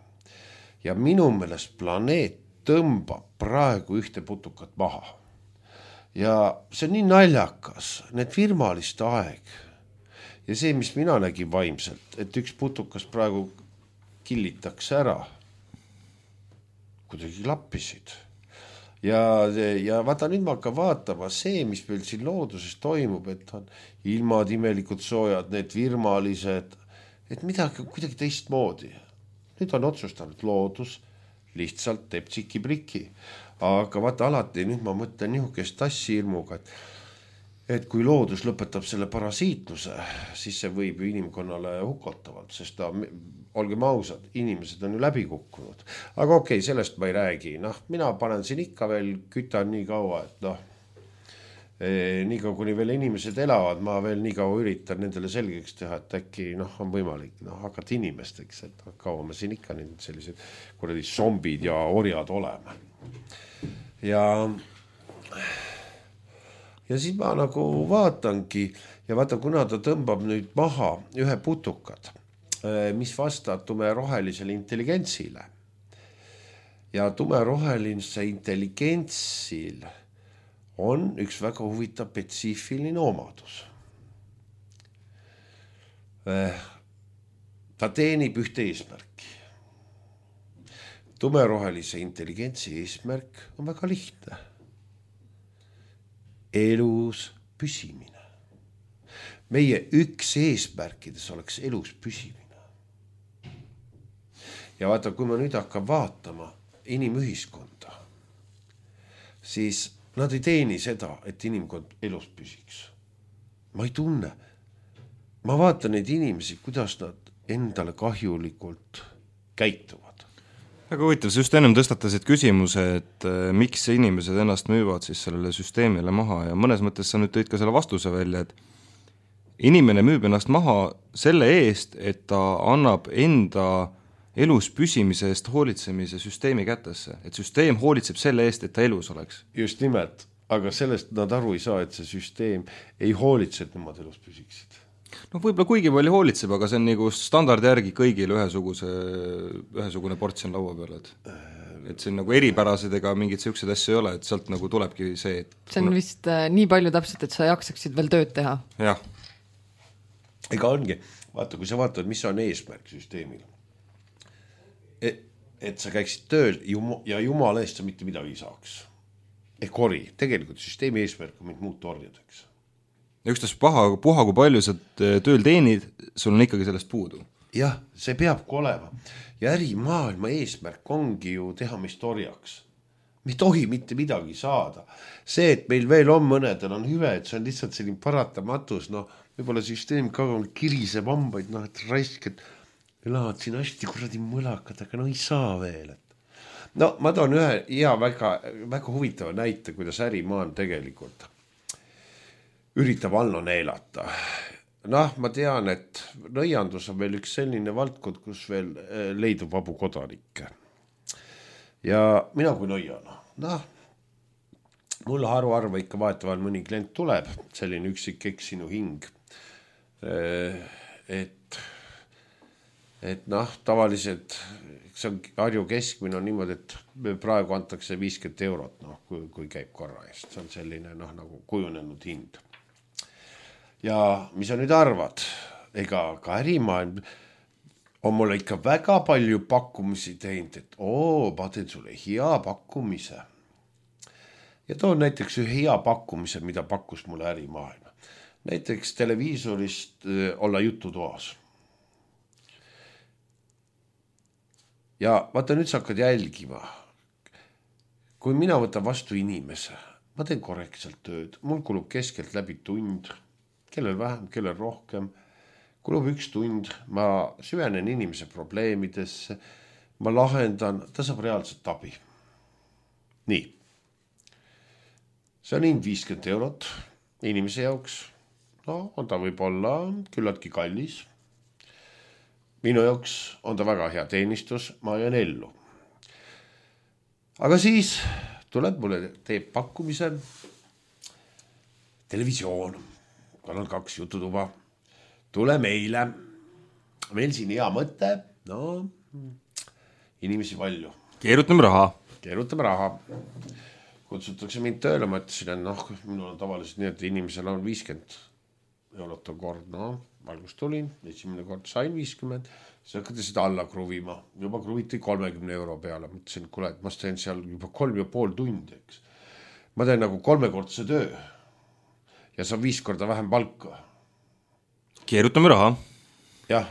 C: Ja minu meelest planeet tõmbab praegu ühte putukat maha. Ja see on nii naljakas, need firmaliste aeg. Ja see, mis mina nägin vaimselt, et üks putukas praegu killitakse ära, kuidagi lappisid. Ja vaata, nüüd ma hakkan vaatama see, mis meil siin looduses toimub, et on ilmad imelikud soojad, need virmalised, et midagi kuidagi teistmoodi. Nüüd on otsustanud loodus, lihtsalt teeb tsiki-priki. Aga vaata alati, nüüd ma mõtlen nihukest tassi hirmuga, et kui loodus lõpetab selle parasiitluse, siis see võib ju inimkonnale hukotavalt, sest olgem ausad, inimesed on ju läbi kukkunud. Aga okei, sellest ma ei räägi. Mina panen siin ikka veel, kütan nii kaua, et nii kaua, kuni veel inimesed elavad, ma veel nii kaua üritan nendele selgeks teha, et äkki on võimalik hakata inimesteks, et kaua me siin ikka sellised kuradi zombid ja orjad oleme. Ja siis ma nagu vaatangi ja vaatan, kuna ta tõmbab nüüd maha ühe putukad, mis vastab tumerohelisele intelligentsile. Ja tumerohelise intelligentsil on üks väga huvitav spetsiifiline omadus. Ta teenib ühte eesmärki. Tumerohelise intelligentsi eesmärk on väga lihtne. Elus püsimine. Meie üks eesmärkides oleks elus püsimine. Ja vaata, kui ma nüüd hakkan vaatama inimühiskonda, siis nad ei teeni seda, et inimkond elus püsiks. Ma ei tunne. ma vaatan neid inimesi, kuidas nad endale kahjulikult käituvad.
B: Väga huvitav, sa just ennem tõstatasid küsimuse, et miks inimesed ennast müüvad siis sellele süsteemile maha ja mõnes mõttes sa nüüd tõid ka selle vastuse välja, et inimene müüb ennast maha selle eest, et ta annab enda elus püsimise eest hoolitsemise süsteemi kätesse, et süsteem hoolitseb selle eest, et ta elus oleks.
C: Just nimelt, aga sellest nad aru ei saa, et see süsteem ei hoolitse, et nemad elus püsiksid.
B: No võib-olla kuigi palju hoolitseb, aga see on nagu standardi järgi kõigile ühesugune portsjon laua peal, et see on nagu eripärased ega mingid sellised asju ei ole, et sealt nagu tulebki see, et
D: see on vist nii palju täpselt, et sa jaksaksid veel tööd teha.
B: Jah.
C: Ega ongi, vaata, kui sa vaatad, mis on eesmärk süsteemil, et sa käiksid tööl ja jumala eest sa mitte midagi ei saaks. Ehk ori, tegelikult süsteemi eesmärk on meid muuta orjadeks.
B: Ja ükstas puha, kui palju sa tööl teenid, sul on ikkagi sellest puudu.
C: Jah, see peabki olema. Ja ärimaailma eesmärk ongi ju teha meist orjaks. Me ei tohi mitte midagi saada. See, et meil veel on mõnedel on hüve, et see on lihtsalt selline paratamatus, võib-olla süsteem ka kiriseb hambaid, et raisk, et elavad siin hästi kuradi mõlakad, aga ei saa veel. Ma toon ühe hea väga huvitava näite, kuidas ärimaan tegelikult üritab alla neelata. Ma tean, et nõiandus on veel üks selline valdkond, kus veel leidub vabu kodanikke. Ja mina kui nõiana, mulle harva ikka vahetavahel mõni klient tuleb, selline üksik eksinu hing, et tavaliselt see on Harju keskmine on niimoodi, et praegu antakse 50 eurot, kui käib korra eest. See on selline nagu kujunenud hind. Ja mis sa nüüd arvad? Ega ka ärimaailm on mulle ikka väga palju pakkumisi teinud, et ma teen sulle hea pakkumise. Ja toon näiteks ühe hea pakkumise, mida pakkus mulle ärimaailm. Näiteks televiisorist olla jututoas. Ja vaata, nüüd sa hakkad jälgima. Kui mina võtan vastu inimese, ma teen korrektselt tööd, mul kulub keskelt läbi tund, kellel vähem, kellel rohkem, kulub 1 tund, ma süvenen inimese probleemidesse, ma lahendan, ta saab reaalselt abi. Nii. See on hind 50 eurot inimese jaoks. On ta võib olla küllaltki kallis. Minu jaoks on ta väga hea teenistus, ma jään ellu. Aga siis tuleb mulle teeb pakkumise televisioon. Tal on 2 jututuba. Tule meile. Meil siin hea mõte. Inimesi palju.
B: Keerutame
C: raha. Kutsutakse mind tööle, ma ütlesin, et minul on tavaliselt nii, et inimesel on 50 eurot on kord. Valgus tulin, esimene kord sain 50, siis hakkati seda alla kruvima. Juba kruviti 30 euro peale. Mõtlesin, kuule, et ma teen seal juba 3,5 tundi, eks. Ma teen nagu 3-kordse töö ja saan 5 korda vähem palka.
B: Keerutame raha.
C: Jah,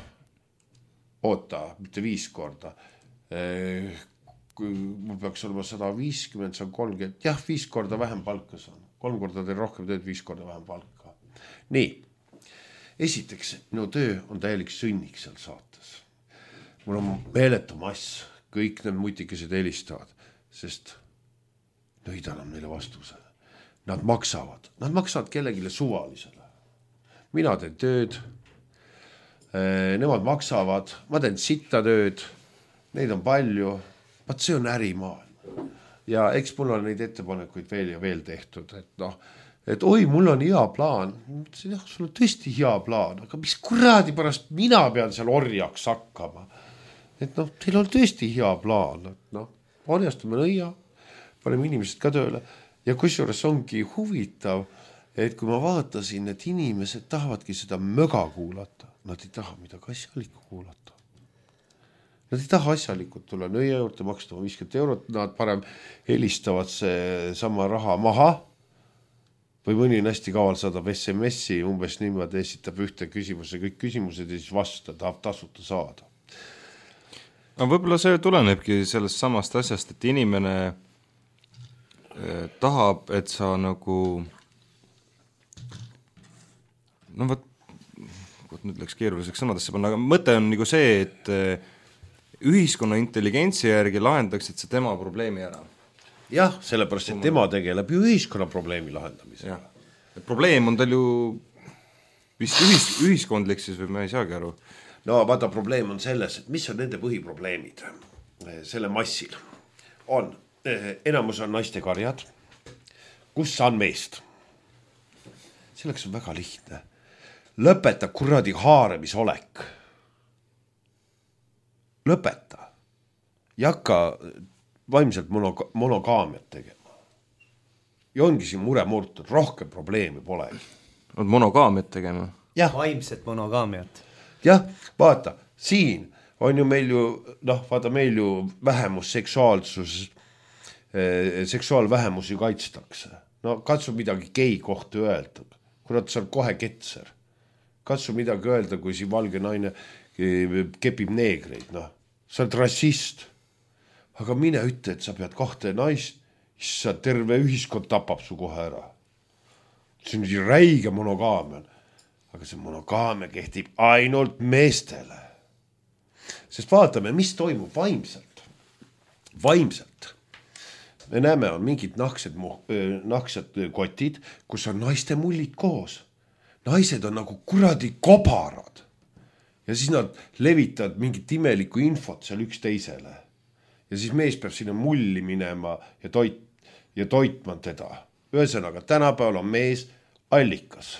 C: oota, mitte 5 korda. Kui mul peaks olema 150, see on 30. Jah, 5 korda vähem palka saan. 3 korda teen rohkem tööd, 5 korda vähem palka. Nii. Esiteks, minu töö on täielik sünnik seal saates. Mul on meeletu mass, kõik need mutikesed helistavad, sest nõid annab neile vastuse. Nad maksavad kellegile suvalisele. Mina teen tööd, nemad maksavad, ma teen sitta tööd, neid on palju, vaat see on ärimaailm. Ja eks mul on neid ettepanekuid veel ja veel tehtud, et oi, mul on hea plaan. Mõtlesin, sul on tõesti hea plaan, aga mis kuradi pärast mina pean seal orjaks hakkama. Et teil on tõesti hea plaan. Orjastame nõia, paneme inimesed ka tööle. Ja kusjuures ongi huvitav, et kui ma vaatasin, et inimesed tahavadki seda möga kuulata, nad ei taha midagi asjalikku kuulata. Nad ei taha asjalikult tulla nõia juurde, maksta 50 eurot, nad parem helistavad see sama raha maha, või mõni on hästi kaval saadab SMS-i, umbes niimoodi esitab ühte küsimuse, kõik küsimused ja siis vasta, tahab tasuta saada.
B: Aga võib-olla see tulenebki sellest samast asjast, et inimene tahab, et sa nagu nüüd läks keeruliseks sõnadesse panna, aga mõte on nagu see, et ühiskonna intelligentsi järgi lahendaksid see tema probleemi ära.
C: Jah, sellepärast, et tema tegeleb ju ühiskonna probleemi lahendamisega.
B: Probleem on tal ju vist ühiskondlik siis või ma ei saagi aru.
C: No vaata, probleem on selles, et mis on nende põhiprobleemid selle massil. On, enamus on naiste karjad, kus saan meest. Selleks on väga lihtne. Lõpeta kuradi haaremisolek. Lõpeta. Ja hakka vaimselt monogaamiat tegema. Ja ongi siin mure murtud, rohkem probleemi polegi.
B: On monogaamiat tegema?
C: Jah.
A: Vaimset monogaamiat.
C: Jah, vaata, siin on ju meil ju, vaata meil ju vähemusseksuaalsus, seksuaalvähemusi kaitstakse. No katsu midagi gei kohta öelda. Kurat, sa on kohe ketser. Katsu midagi öelda, kui siin valge naine kepib neegreid. Sa oled rassist. Aga mine ütle, et sa pead kahte naist, issa terve ühiskond tapab su kohe ära. See on räige monogaamia. Aga see monogaamia kehtib ainult meestele. Sest vaatame, mis toimub vaimselt. Vaimselt. Me näeme, on mingid nahksed kotid, kus on naiste mullid koos. Naised on nagu kuradi kobarad. Ja siis nad levitavad mingit imelikku infot seal üks teisele. Ja siis mees peab sinna mulli minema ja toitma teda. Ühesõnaga, tänapäeval on mees allikas.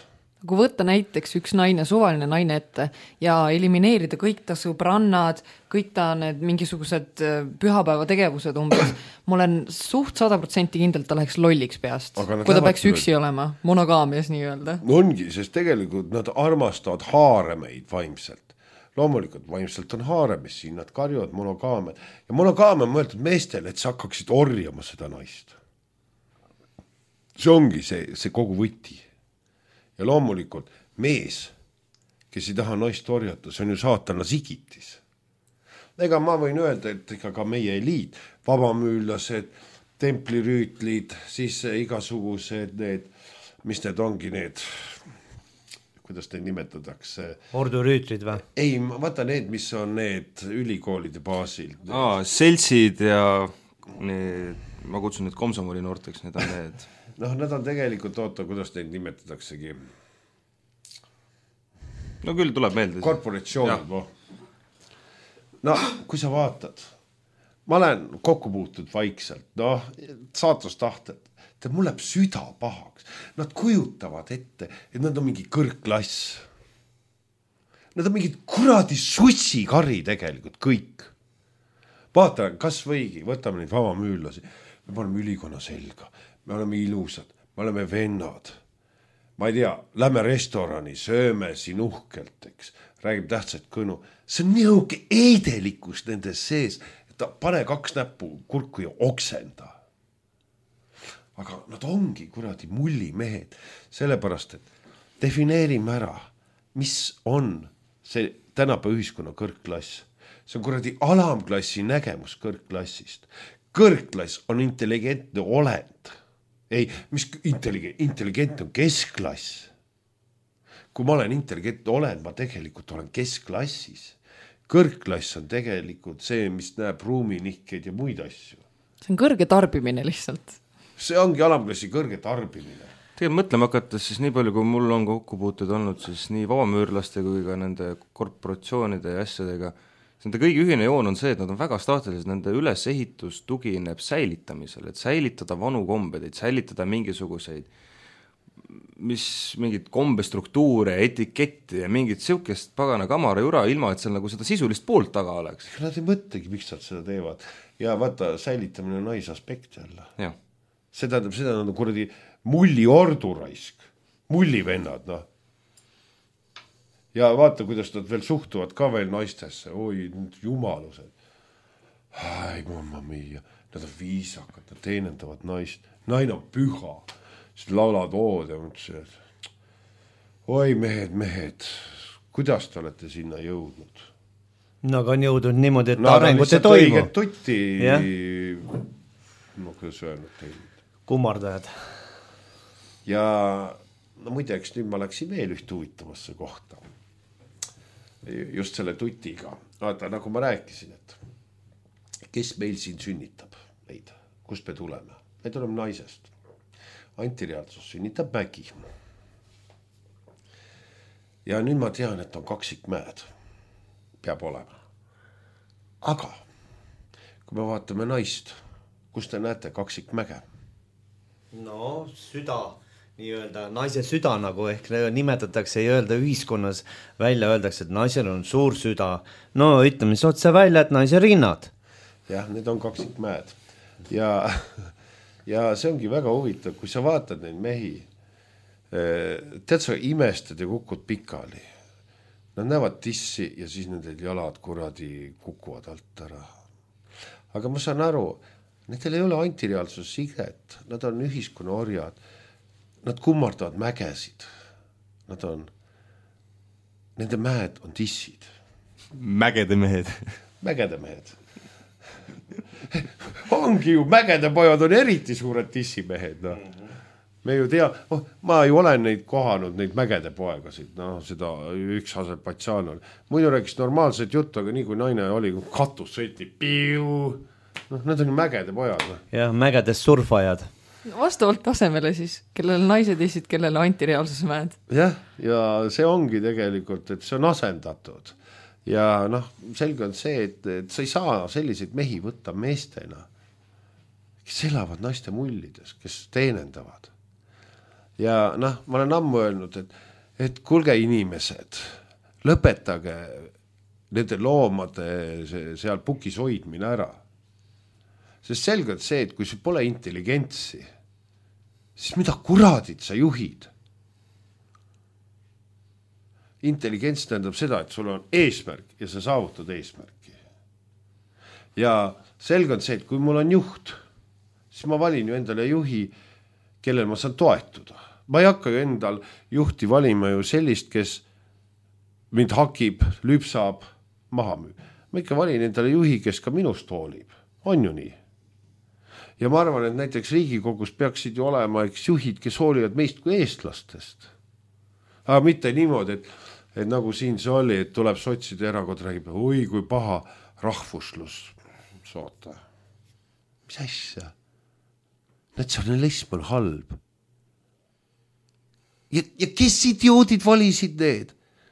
D: Kui võtta näiteks üks naine, suvaline naine ette ja elimineerida kõik ta sõbrannad, kõik ta need mingisugused pühapäeva tegevused umbes, ma olen suht 100% kindlalt ta läheks lolliks peast, kui ta peaks üksi olema, monogaamias nii öelda.
C: Ongi, sest tegelikult nad armastavad haaremeid vaimselt. Loomulikult vaimselt on haaremis siin, nad karjuvad monogaamiat. Ja monogaamia on mõeldud meestele, et sa hakkaksid orjama seda naist. See ongi see kogu võti. Ja loomulikult mees, kes ei taha naist orjata, see on ju saatana sigitis. Ega ma võin öelda, et ikka ka meie eliit, vabamüüllased, templirüütlid, siis igasugused need, mis need ongi need, kuidas neid nimetatakse?
A: Ordurüütlid või?
C: Ei, vaata need, mis on need ülikoolide baasil.
B: Seltsid ja need, ma kutsun need komsomoli noorteks, need on need...
C: Nad on tegelikult, kuidas neid nimetataksegi.
B: No küll tuleb meelde.
C: Korporatsioonid. Kui sa vaatad, ma olen kokku puutud vaikselt, saatustahted, et mul läheb süda pahaks. Nad kujutavad ette, et nad on mingi kõrgklass. Nad on mingid kuradi sussikari tegelikult kõik. Vaata, kas võigi, võtame neid vabamüüllasi. Me paneme ülikonna selga. Me oleme ilusad, me oleme vennad. Ma ei tea, lähme restorani, sööme siin uhkelt, eks. Räägib tähtsat kõnu. See on nihuke eidelikus nendes sees, et ta pane 2 näppu kurku ja oksenda. Aga nad ongi kuradi mullimehed, sellepärast, et defineerime ära, mis on see tänapäeva ühiskonna kõrgklass. See on kuradi alamklassi nägemus kõrgklassist. Kõrgklass on intelligentne olend. Ei, mis intelligentne on keskklass. Kui ma olen intelligentne olend, ma tegelikult olen keskklassis. Kõrgklass on tegelikult see, mis näeb ruuminihkeid ja muid asju.
D: See on kõrge tarbimine lihtsalt.
C: See ongi alamklassi kõrge tarbimine.
B: Tegelikult mõtlema hakates siis nii palju, kui mul on kokkupuutud olnud, siis nii vabamüürlaste kui ka nende korporatsioonide ja asjadega, nende kõigi ühine joon on see, et nad on väga staatilised, nende ülesehitus tugineb säilitamisel, et säilitada vanu kombeid, säilitada mingisuguseid, mingid kombestruktuure, etiketti ja mingit siukest pagana kamara jura, ilma et seal nagu seda sisulist poolt taga oleks.
C: Nad ei mõtlegi, miks nad seda teevad. Ja vaata, säilitamine on naisaspekt jälle.
B: Ja.
C: Seda on kuradi mulli orduraisk, mullivennad, Ja vaata, kuidas nad veel suhtuvad ka veel naistesse. Oi, jumalused. Ai, mamma mia. Nad on viisakad, nad teenendavad naist. Naine on püha. Siis laulad ood ja mõtlesin, et oi, mehed, kuidas te olete sinna jõudnud?
A: No aga on jõudnud niimoodi, et arengut ei toimu.
C: Õiget tutti, kuidas öelnud teile.
A: Kummardajad.
C: Ja muideks nüüd ma läksin veel üht huvitavasse kohta. just selle tutiga. Vaata, nagu ma rääkisin, et kes meil siin sünnitab meid, kust me tuleme? Me tuleme naisest. Antireaalsus sünnitab mägi. Ja nüüd ma tean, et on kaksikmäed. Peab olema. Aga kui me vaatame naist, kus te näete kaksikmäge?
A: No süda, nii-öelda naise süda nagu ehk nimetatakse ja öelda ühiskonnas välja, öeldakse, et naisel on suur süda. No ütleme siis otse välja, et naise rinnad.
C: Jah, need on kaksikmäed. Ja see ongi väga huvitav, kui sa vaatad neid mehi, tead sa imestad ja kukud pikali. Nad näevad tissi ja siis nendel jalad kuradi kukuvad alt ära. Aga ma saan aru, nendel ei ole antireaalsus siget, nad on ühiskonna orjad, nad kummardavad mägesid, nende mäed on tissid.
B: Mägede mehed.
C: Mägede mehed. Ongi ju, mägede pojad on eriti suured tissimehed, no. Me ju tea, ma ju olen neid kohanud, neid mägede poegasid, no seda üks Aserbaidžaan oli. Muidu rääkis normaalset juttu, aga nii kui naine oli, katus sõiti, piu, need on ju mägede pojad. No.
A: Jah, mägedes surfajad.
D: Vastavalt tasemele siis, kellel naised issid, kellel antireaalsuse mäed.
C: Jah, ja see ongi tegelikult, et see on asendatud. Ja selge on see, et sa ei saa selliseid mehi võtta meestena, kes elavad naiste mullides, kes teenendavad. Ja ma olen ammu öelnud, et kuulge inimesed, lõpetage nende loomade seal pukis hoidmine ära. Sest selge on see, et kui sul pole intelligentsi, siis mida kuradid sa juhid? Intelligents tähendab seda, et sul on eesmärk ja sa saavutad eesmärki. Ja selge on see, et kui mul on juht, siis ma valin ju endale juhi, kellel ma saan toetuda. Ma ei hakka ju endal juhti valima ju sellist, kes mind hakib, lüpsab, maha müüb. Ma ikka valin endale juhi, kes ka minust hoolib. On ju nii? Ja ma arvan, et näiteks Riigikogus peaksid ju olema juhid, kes hoolivad meist kui eestlastest. Aga mitte niimoodi, et nagu siin see oli, et tuleb sotside erakond räägib, oi kui paha rahvuslus. Soota. Mis asja? Natsionalism on halb. Ja kes idioodid valisid need?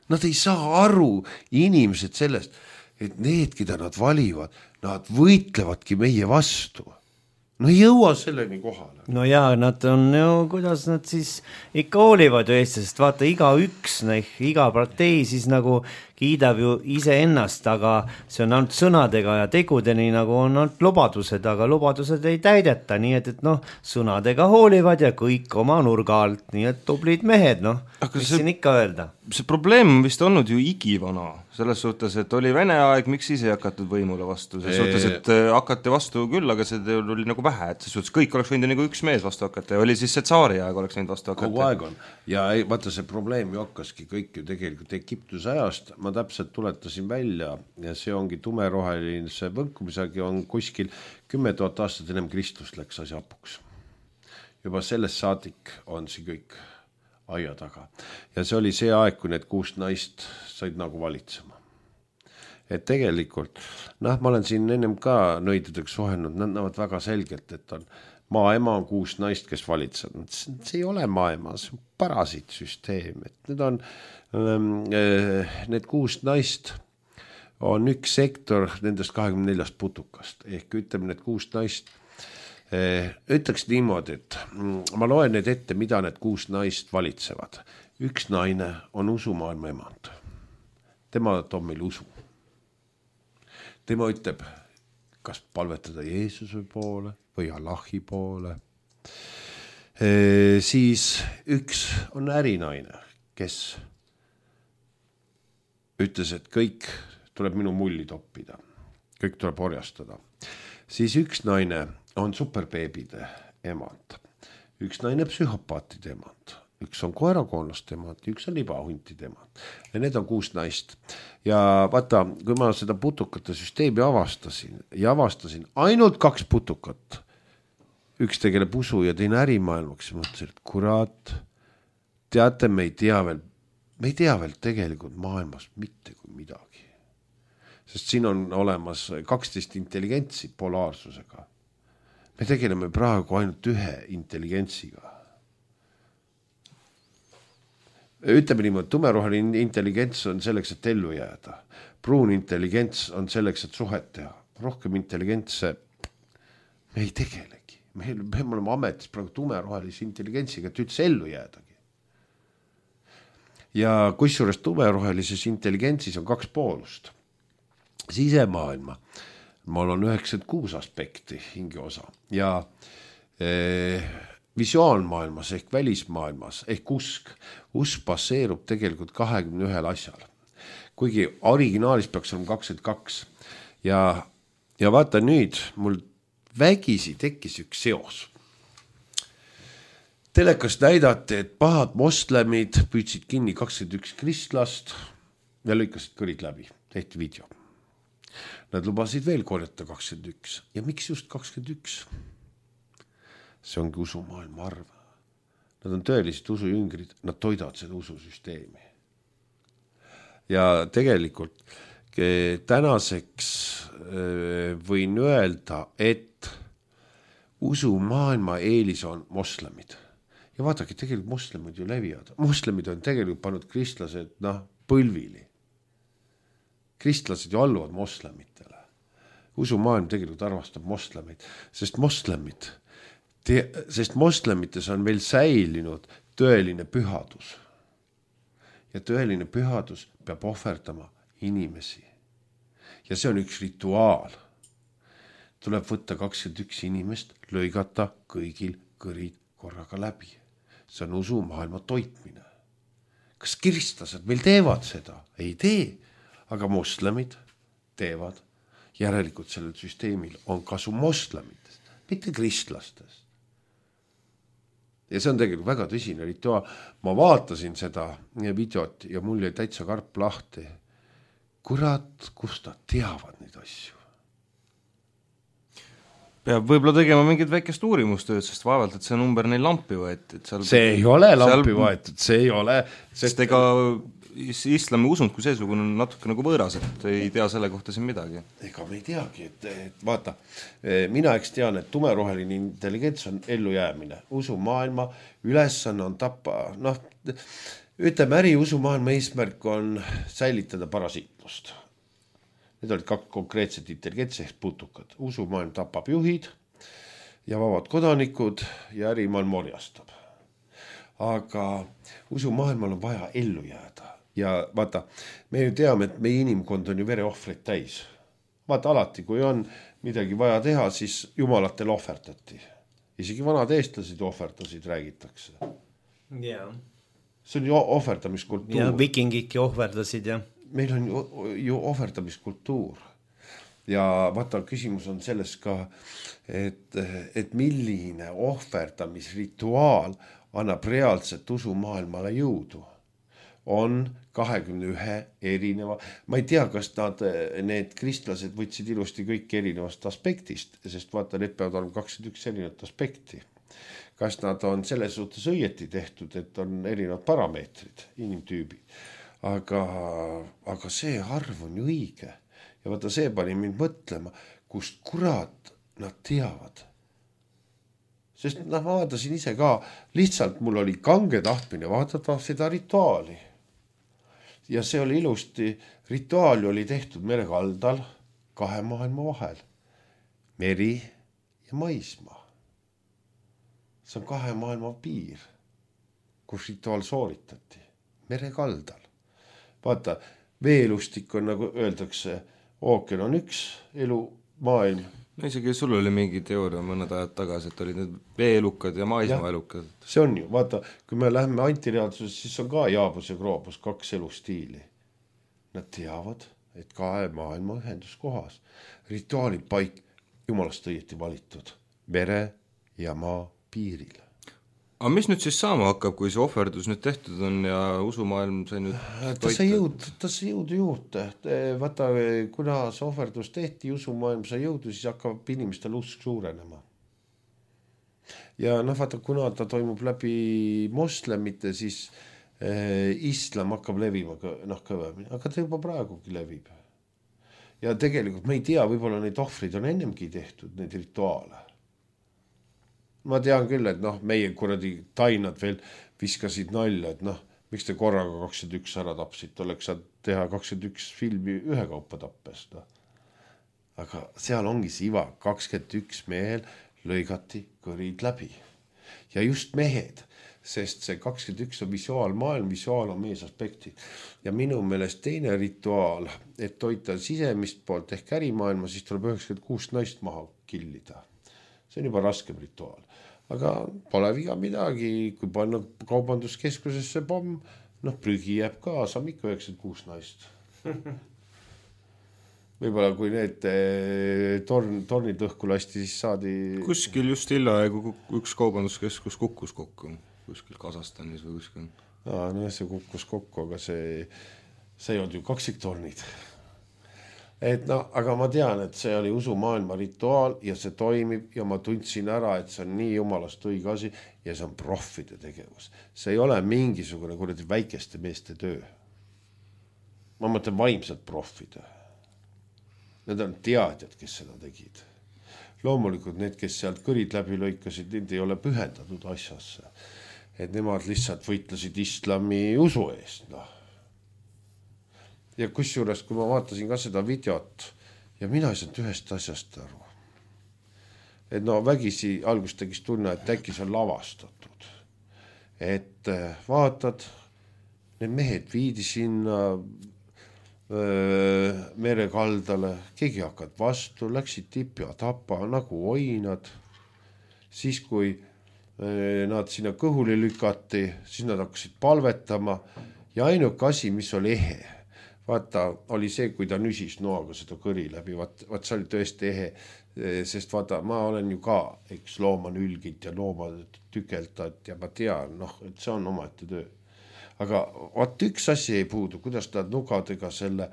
C: Nad ei saa aru inimesed sellest, et need, keda nad valivad, nad võitlevadki meie vastu. No ei jõua selleni kohale.
A: No jaa, nad on ju, kuidas nad siis ikka hoolivad ju Eestist, vaata iga partei siis nagu kiidab ju ise ennast, aga see on ainult sõnadega ja tegudeni nagu on ainult lubadused, aga lubadused ei täideta, nii et sõnadega hoolivad ja kõik oma nurga alt, nii et tublid mehed, mis siin ikka öelda?
B: See probleem on vist olnud ju igivana, selles suhtes, et oli Vene aeg, miks ise ei hakatud võimule vastu, selles suhtes, et hakati vastu küll, aga see oli nagu vähe, et selles suhtes kõik oleks võinud nagu üks mees vastu hakata ja oli siis see tsaari aeg oleks võinud vastu hakata.
C: Kogu aeg on. Ja vaata see probleem ju hakkaski kõik ju tegelikult Egiptuse ajast, ma täpselt tuletasin välja ja see ongi tumeroheline, see võnkumisagi on kuskil 10 000 aastat ennem Kristust läks asi hapuks. Juba sellest saadik on see kõik aia taga. Ja see oli see aeg, kui need 6 naist said nagu valitsema. Et tegelikult, ma olen siin ennem ka nõidudeks suhenud, nad näevad väga selgelt, et on maaema on 6 naist, kes valitsevad. See ei ole maaema, see on parasiitsüsteem. Et need on need 6 naist on üks sektor nendest 24 putukast. Ehk ütleme need 6 naist, ütleks niimoodi, et ma loen need ette, mida need 6 naist valitsevad. Üks naine on usumaailma emand. Tema toob meil usu. Tema ütleb, kas palvetada Jeesuse poole või Allahi poole. Siis üks on ärinaine, kes ütles, et kõik tuleb minu mulli toppida. Kõik tuleb orjastada. Siis üks naine on superbeebide emand. Üks naine psühhopaatide emand. Üks on koerakoonlaste emand, üks on libahuntide emand. Ja need on 6 naist. Ja vaata, kui ma seda putukate süsteemi avastasin ainult 2 putukat. Üks tegeleb usu ja teine ärimaailmaks. Mõtlesin, et kurat, teate, me ei tea veel me ei tea veel tegelikult maailmas mitte kui midagi. Sest siin on olemas 12 intelligentsi polaarsusega. Me tegeleme praegu ainult ühe intelligentsiga. Ütleme niimoodi, tumeroheline intelligents on selleks, et ellu jääda. Pruun intelligents on selleks, et suhet teha. Rohkem intelligentse me ei tegelegi. Me oleme ametis praegu tumerohelise intelligentsiga, et üldse ellu jäädagi. Ja kusjuures tumerohelises intelligentsis on 2 poolust. Sisemaailma. Mul on 96 aspekti hingeosa ja visuaalmaailmas ehk välismaailmas ehk usk baseerub tegelikult 21 asjal. Kuigi originaalis peaks olema 22 ja vaata nüüd mul vägisi tekkis üks seos. Telekast näidati, et pahad moslemid püüdsid kinni 21 kristlast ja lõikasid kõrid läbi, tehti video. Nad lubasid veel korjata 21 ja miks just 21? See ongi usumaailma arv. Nad on tõelised usujüngrid, nad toidavad seda ususüsteemi. Ja tegelikult tänaseks võin öelda, et usumaailma eelis on moslemid. Ja vaadake, tegelikult moslemid ju levivad. Moslemid on tegelikult pannud kristlased põlvili. Kristlased ju alluvad moslemitele. Usumaailm tegelikult arvastab moslemid, sest moslemites on veel säilinud tõeline pühadus. Ja tõeline pühadus peab ohverdama inimesi. Ja see on üks rituaal. Tuleb võtta 21 inimest, lõigata kõigil kõrid korraga läbi. See on usumaailma toitmine. Kas kristlased meil teevad seda? Ei tee, aga moslemid teevad. Järelikult sellel süsteemil on kasu moslemitest, mitte kristlastest. Ja see on tegelikult väga tõsine rituaal. Ma vaatasin seda videot ja mul jäi täitsa karp lahti. Kurat, kust nad teavad neid asju?
B: Peab võib-olla tegema mingit väikest uurimustööd, sest vaevalt, et see number neil lampi võeti.
C: See ei ole lampi võetud, see ei ole.
B: Sest ega islami usund kui seesugune on natuke nagu võõras, et ei tea selle kohta siin midagi. Ega
C: me ei teagi, et vaata, mina eks tean, et tumeroheline intelligents on ellujäämine. Usumaailma ülesanne on tappa, ütleme äriusumaailma eesmärk on säilitada parasiitlust. Need olid 2 konkreetset intelligentsi ehk putukad. Usumaailm tapab juhid ja vabad kodanikud ja ärimaailm orjastab. Aga usumaailmal on vaja ellu jääda. Ja vaata, me ju teame, et meie inimkond on ju vereohvreid täis. Vaata alati, kui on midagi vaja teha, siis jumalatel ohverdati. Isegi vanad eestlased ohverdasid, räägitakse.
A: Yeah.
C: See on ju ohverdamiskultuur.
A: Ja vikingidki ohverdasid, jah.
C: Meil on ju ohverdamiskultuur. Ja vaata, küsimus on selles ka, et milline ohverdamisrituaal annab reaalselt usumaailmale jõudu. On 21 erineva, ma ei tea, kas need kristlased võtsid ilusti kõik erinevast aspektist, sest vaata, need peavad olema 21 erinevat aspekti. Kas nad on selles suhtes õieti tehtud, et on erinevad parameetrid, inimtüübid. Aga see arv on ju õige. Ja vaata, see pani mind mõtlema, kust kurat nad teavad. Sest ma vaatasin ise ka, lihtsalt mul oli kange tahtmine vaadata seda rituaali. Ja see oli ilusti, rituaali oli tehtud merekaldal 2 maailma vahel. Meri ja maismaa. See on 2 maailma piir, kus rituaal sooritati. Merekaldal. Vaata, veelustik on, nagu öeldakse, ookean on üks elumaailm.
B: No isegi sul oli mingi teooria mõned ajad tagasi, et olid need veelukad ja maismaaelukad.
C: See on ju, vaata, kui me läheme antireaalsuses, siis on ka Jaabus ja Kroobus 2 elustiili. Nad teavad, et 2 maailma ühenduskohas. Rituaalid paik, jumalast õieti valitud, mere ja maa piiril.
B: Aga mis nüüd siis saama hakkab, kui see ohverdus nüüd tehtud on ja usumaailm sai nüüd
C: ta sai jõudu juurde. Vaata, kuna see ohverdus tehti, usumaailm sai jõudu, siis hakkab inimestel usk suurenema. Ja vaata, kuna ta toimub läbi moslemite, siis islam hakkab levima kõvemini, aga ta juba praegugi levib. Ja tegelikult me ei tea, võib-olla neid ohvrid on ennemgi tehtud, neid rituaale. Ma tean küll, et meie kuradi tainad veel viskasid nalja, et miks te korraga 21 ära tapsid, oleks saad teha 21 filmi ühe kaupa tappes. Aga seal ongi see iva, 21 mehel lõigati kõrid läbi. Ja just mehed, sest see 21 on visuaalmaailm, visuaal on meesaspekti. Ja minu meelest teine rituaal, et toita sisemist poolt ehk ärimaailma, siis tuleb 96 naist maha killida. See on juba raskem rituaal. Aga pole viga midagi, kui panna kaubanduskeskusesse pomm, prügi jääb ka, saab ikka 96 naist. Võib-olla kui need tornid õhku lasti, siis saadi...
B: Kuskil just hiljaaegu üks kaubanduskeskus kukkus kokku, kuskil Kasahstanis või kuskil.
C: See kukkus kokku, aga see ei olnud ju kaksiktornid. Aga ma tean, et see oli usumaailma rituaal ja see toimib ja ma tundsin ära, et see on nii jumalast õige asi ja see on proffide tegevus. See ei ole mingisugune kuradi väikeste meeste töö. Ma mõtlen vaimsed profid. Need on teadjad, kes seda tegid. Loomulikult need, kes sealt kõrid läbi lõikasid, need ei ole pühendatud asjasse. Et nemad lihtsalt võitlesid islami usu eest. Ja kusjuures, kui ma vaatasin ka seda videot ja mina ei saanud ühest asjast aru. Et vägisi algust tegis tunne, et äkki see on lavastatud. Et vaatad, need mehed viidi sinna merekaldale, keegi hakkad vastu, läksid tipi ja tapa nagu oinad. Siis kui nad sinna kõhuli lükati, siis nad hakkasid palvetama ja ainuke asi, mis oli ehe, vaata, oli see, kui ta nüsis noaga seda kõri läbi, vaat see oli tõesti ehe, sest vaata, ma olen ju ka, eks looma nülgid ja looma tükeldad ja ma tean, et see on omaette töö. Aga vaat üks asi ei puudu, kuidas nad nugadega selle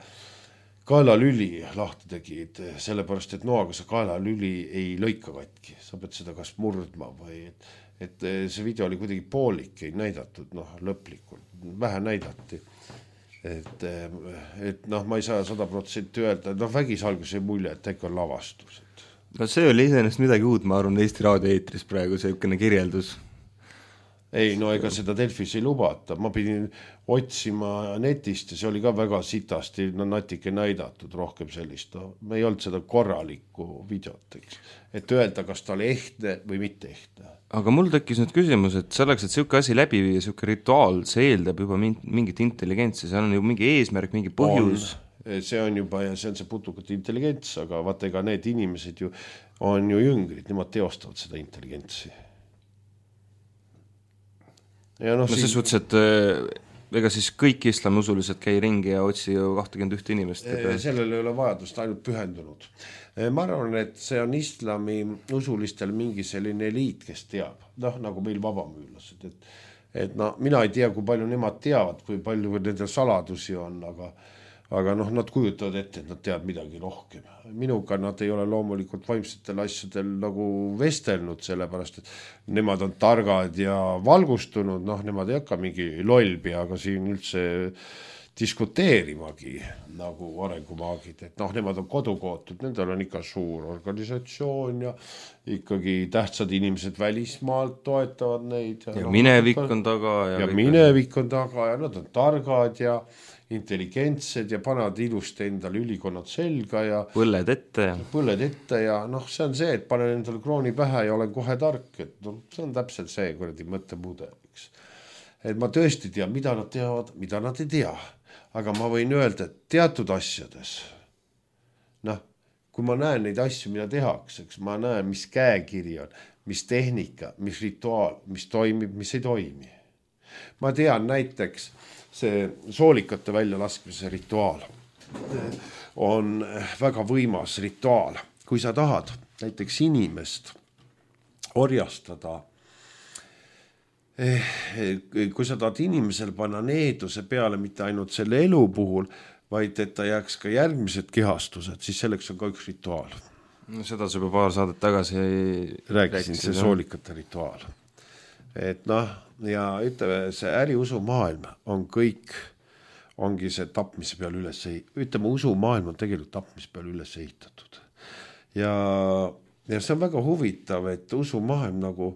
C: kaelalüli lahti tegid, sellepärast, et noaga see kaelalüli ei lõika katki. Sa pead seda kas murdma või, et see video oli kuidagi poolik, ei näidatud, lõplikult, vähe näidati. Et ma ei saa 100% öelda, vägis algus ei mulje, et äkki on lavastus.
B: See oli iseenesest midagi uut, ma arvan, Eesti raadioeetris praegu selline kirjeldus.
C: Ei, ega seda Delfis ei lubata. Ma pidin otsima netist ja see oli ka väga sitasti natike näidatud rohkem sellist. Me ei olnud seda korralikku videot, et öelda, kas ta oli ehtne või mitte ehtne.
B: Aga mul tekkis nüüd küsimus, et selleks, et selline asi läbi viia, selline rituaal, see eeldab juba mingit intelligentsi, seal on ju mingi eesmärk, mingi põhjus.
C: See on juba ja see on see putukate intelligents, aga vaata, ega need inimesed ju on ju jüngrid, nemad teostavad seda intelligentsi. Ja
B: ses suhtes, et ega siis kõik islamiusulised käi ringi ja otsi ju 21 inimest.
C: Sellel ei ole vajadust, ainult pühendunud. Ma arvan, et see on islami usulistel mingi selline eliit, kes teab, nagu meil vabamüülased. Et mina ei tea, kui palju nemad teavad, kui palju nendel saladusi on, aga nad kujutavad ette, et nad teavad midagi rohkem. Minuga nad ei ole loomulikult vaimsetel asjadel nagu vestelnud, sellepärast, et nemad on targad ja valgustunud, nemad ei hakka mingi lollpeaga siin üldse diskuteerimagi nagu arengumaagid, et nemad on kodukootud, nendel on ikka suur organisatsioon ja ikkagi tähtsad inimesed välismaalt toetavad neid.
B: Ja minevik on taga.
C: Ja minevik on taga ja nad on targad ja intelligentsed ja panad ilusti endale ülikonnad selga ja
B: põlled ette
C: ja see on see, et panen endale krooni pähe ja olen kohe tark, et see on täpselt see kuradi mõttemudel, et ma tõesti tean, mida nad teavad, mida nad ei tea, aga ma võin öelda, et teatud asjades kui ma näen neid asju, mida tehakse, ma näen, mis käekiri on, mis tehnika, mis rituaal, mis toimib, mis ei toimi. Ma tean näiteks see soolikate väljalaskmise rituaal on väga võimas rituaal. Kui sa tahad näiteks inimest orjastada, kui sa tahad inimesel panna needuse peale mitte ainult selle elu puhul, vaid et ta jääks ka järgmised kehastused, siis selleks on ka üks rituaal.
B: Seda sa juba paar saadet tagasi
C: rääkisin, see soolikate rituaal. et noh, ja ütleme, see äriusumaailm on kõik, ongi see tapmise peal ütleme, usumaailm on tegelikult tapmise peal üles ehitatud. Ja see on väga huvitav, et usumaailm nagu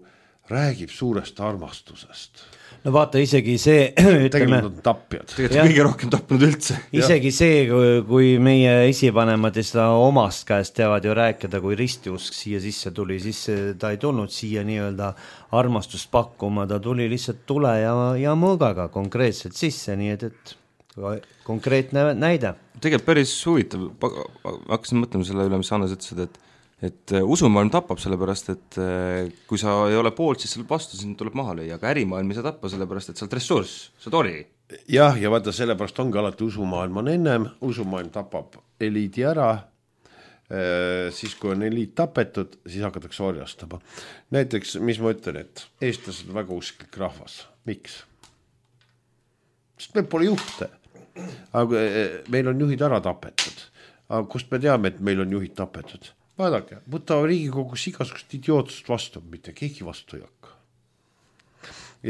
C: räägib suurest armastusest.
A: No vaata, isegi see,
C: tegelikult on tapjad.
B: Tegelikult kõige rohkem tapnud üldse.
A: Isegi see, kui meie esivanemad seda omast käest teavad ju rääkida, kui ristiusk siia sisse tuli, siis ta ei tulnud siia nii-öelda armastust pakkuma, ta tuli lihtsalt tule ja mõõgaga konkreetselt sisse, nii et konkreetne näide.
B: Tegelikult päris huvitav, hakkasin mõtlema selle üle, mis Hannes ütlesid, et usumaailm tapab sellepärast, et kui sa ei ole poolt, siis selle vastu sind tuleb maha lüüa, aga ärimaailm ei saa tappa sellepärast, et sa oled ressurss, sa oled ori.
C: Jah, ja vaata, sellepärast ongi alati usumaailm on ennem, usumaailm tapab eliidi ära, siis kui on eliit tapetud, siis hakatakse orjastama. Näiteks, mis ma ütlen, et eestlased on väga usklik rahvas. Miks? Sest meil pole juhte. Aga meil on juhid ära tapetud. Aga kust me teame, et meil on juhid tapetud? Vaadake, võta Riigikogus igasugust idiootsust vastu, mitte keegi vastu ei hakka.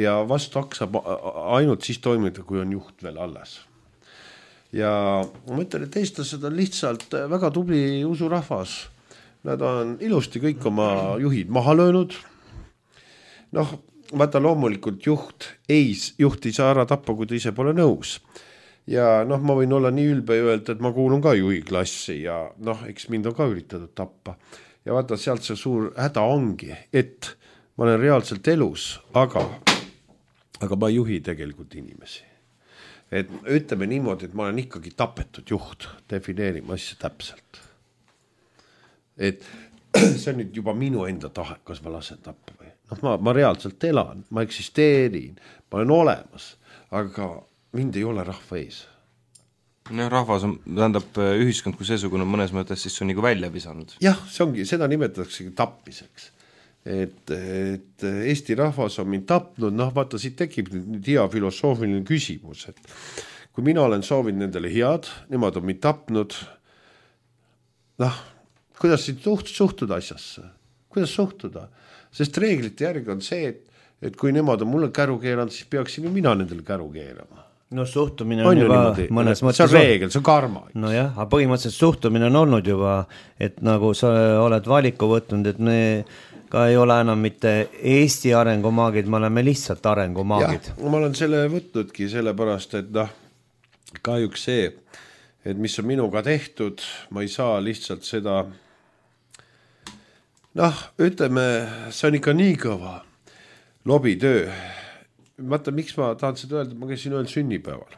C: Ja vastu hakkab ainult siis toimida, kui on juht veel alles. Ja ma ütlen, et eestlased on lihtsalt väga tubli usurahvas. Nad on ilusti kõik oma juhid maha löönud. Noh, vaata loomulikult juht ei saa ära tappa, kui ta ise pole nõus. Ja noh, ma võin olla nii ülbe öelda, et ma kuulun ka juhi klassi ja noh, eks mind on ka üritatud tappa. Ja vaata, sealt see suur häda ongi, et ma olen reaalselt elus, aga ma ei juhi tegelikult inimesi. Et ütleme niimoodi, et ma olen ikkagi tapetud juht, defineerima asja täpselt. Et see on nüüd juba minu enda tahe, kas ma lasen tappa või. Noh, ma reaalselt elan, ma eksisteerin, ma olen olemas, aga mind ei ole rahva ees.
B: No, rahvas on, tähendab ühiskond kui seesugune mõnes mõttes, siis on nagu välja visanud.
C: Jah, see ongi, seda nimetatakse tapmiseks. Et Eesti rahvas on mind tapnud, noh vaata, siit tekib nüüd hea filosoofiline küsimus, et kui mina olen soovinud nendele head, nemad on mind tapnud, noh, kuidas siit suhtuda asjasse? Kuidas suhtuda? Sest reeglite järgi on see, et kui nemad on mulle käru keeranud, siis peaksin ju mina nendele käru keerama.
A: No suhtumine on juba niimoodi, mõnes mõttes...
C: See on reegel, see on karma.
A: No jah, aga põhimõtteliselt suhtumine on olnud juba, et nagu sa oled valiku võtnud, et me ka ei ole enam mitte Eesti arengumaagid, me oleme lihtsalt arengumaagid.
C: Jah, ma olen selle võtnudki sellepärast, et noh, kahjuks see, et mis on minuga tehtud, ma ei saa lihtsalt seda, noh, ütleme, see on ikka nii kõva lobitöö. Vaata, miks ma tahan seda öelda, ma käisin ühel sünnipäeval.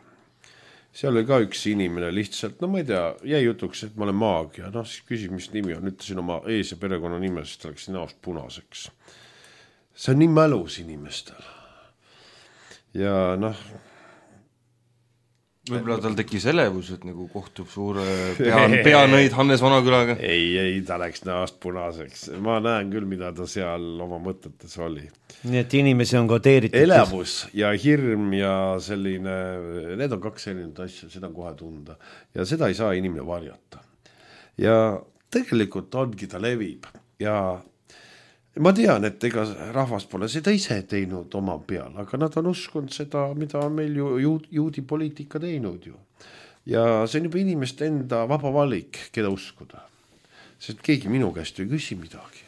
C: Seal oli ka üks inimene lihtsalt, no ma ei tea, jäi jutuks, et ma olen maag ja noh, siis küsis, mis nimi on, ütlesin oma ees- ja perekonna nime, sest ta läksin näost punaseks. See on nii mälus inimestel. Ja noh,
B: võib-olla tal tekkis elevus, et nagu kohtub suure peanõid Hannes Vanakülaga.
C: Ei, ta läks näost punaseks. Ma näen küll, mida ta seal oma mõtetes oli.
A: Nii et inimesi on kodeeritud.
C: Elevus ja hirm ja selline, need on kaks sellinud asja, seda on kohe tunda. Ja seda ei saa inimene varjata. Ja tegelikult ongi ta levib. Ja ma tean, et ega rahvas pole seda ise teinud oma peal, aga nad on uskunud seda, mida on meil juudi poliitika teinud ju. Ja see on juba inimeste enda vaba valik, keda uskuda. Sest keegi minu käest ei küsi midagi.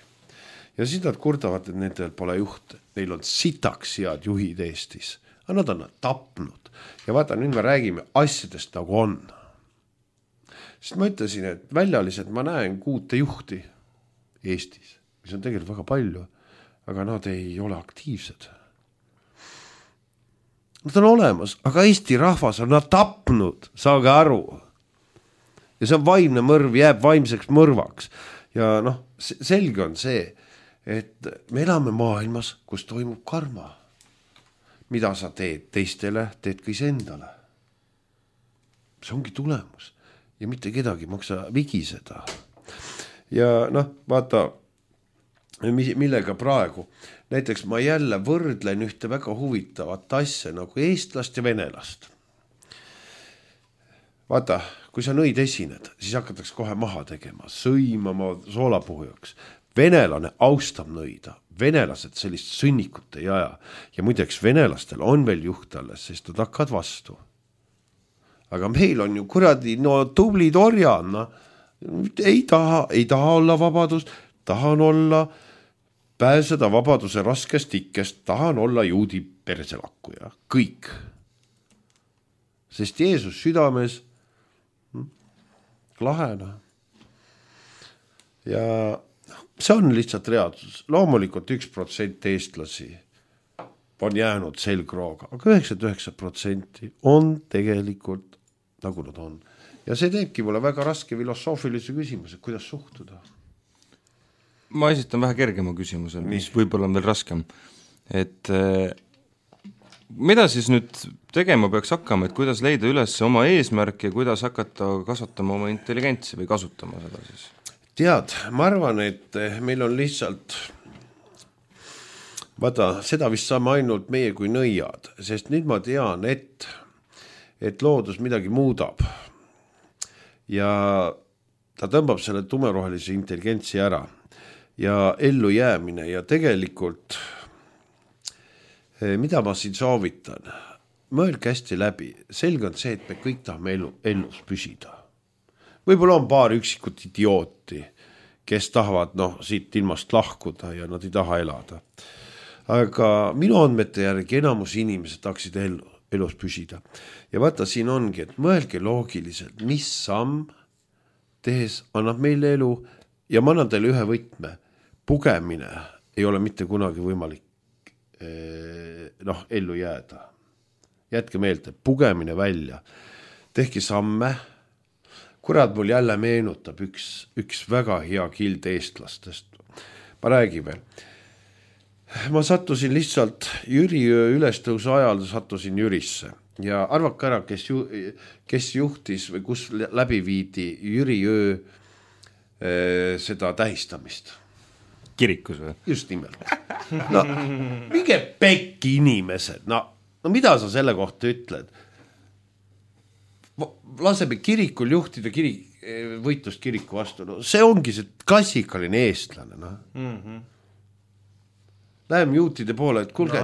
C: Ja siis nad kurdavad, et nendel pole juhte. Neil on sitaks head juhid Eestis. Aga nad on tapnud. Ja vaata, nüüd me räägime asjadest nagu on. Sest ma ütlesin, et väljaliselt ma näen 6 juhti Eestis, mis on tegelikult väga palju, aga nad ei ole aktiivsed. Nad on olemas, aga Eesti rahvas on nad tapnud, saage aru. Ja see on vaimne mõrv, jääb vaimseks mõrvaks. Ja noh, selge on see, et me elame maailmas, kus toimub karma. Mida sa teed teistele, teed ka iseendale. See ongi tulemus. Ja mitte kedagi maksa vigiseda. Ja noh, vaata, millega praegu. Näiteks ma jälle võrdlen ühte väga huvitavat asja nagu eestlast ja venelast. Vaata, kui sa nõid esined, siis hakatakse kohe maha tegema, sõimama soolapuhujaks. Venelane austab nõida, venelased sellist sõnnikut ei aja ja muideks venelastel on veel juht alles, sest nad hakkavad vastu. Aga meil on ju kuradi, no tublid orjad, no, ei taha olla vabadus, tahan olla, pääseda vabaduse raskest ikkest, tahan olla juudi perselakkuja, kõik. Sest Jeesus südames lahena. Ja see on lihtsalt reaalsus. Loomulikult 1% eestlasi on jäänud selgrooga, aga 99% on tegelikult nagu nad on. Ja see teebki mulle väga raske filosoofilise küsimuse, kuidas suhtuda.
B: Ma esitan vähe kergema küsimuse, mis võib-olla on veel raskem. Et mida siis nüüd tegema peaks hakkama, et kuidas leida üles oma eesmärk ja kuidas hakata kasvatama oma intelligentsi või kasutama seda siis?
C: Tead, ma arvan, et meil on lihtsalt, vaata, seda vist saame ainult meie kui nõiad, sest nüüd ma tean, et loodus midagi muudab ja ta tõmbab selle tumerohelise intelligentsi ära ja ellu jäämine ja tegelikult, mida ma siin soovitan, mõelge hästi läbi, selge on see, et me kõik tahame ellus püsida. Võib-olla on paar üksikut idiooti, kes tahavad siit ilmast lahkuda ja nad ei taha elada. Aga minu andmete järgi enamus inimesed tahaksid elus püsida. Ja vaata, siin ongi, et mõelge loogiliselt, mis samm tehes annab meile elu ja ma annan teile ühe võtme. Pugemine ei ole mitte kunagi võimalik ellu jääda. Jätke meelde, pugemine välja. Tehke samme. Kurat mul jälle meenutab üks väga hea kild eestlastest. Ma räägin veel. Ma sattusin lihtsalt Jüri ülestõusu ajal sattusin Jürisse ja arvake ära, kes juhtis või kus läbi viidi Jüri öö seda tähistamist.
B: Kirikus või?
C: Just nimelt. No, minge pekki inimesed. No mida sa selle kohta ütled? Laseme kirikul juhtida võitlust kiriku vastu. No, see ongi see klassikaline eestlane. No. Läheme juutide poole, et kuulge,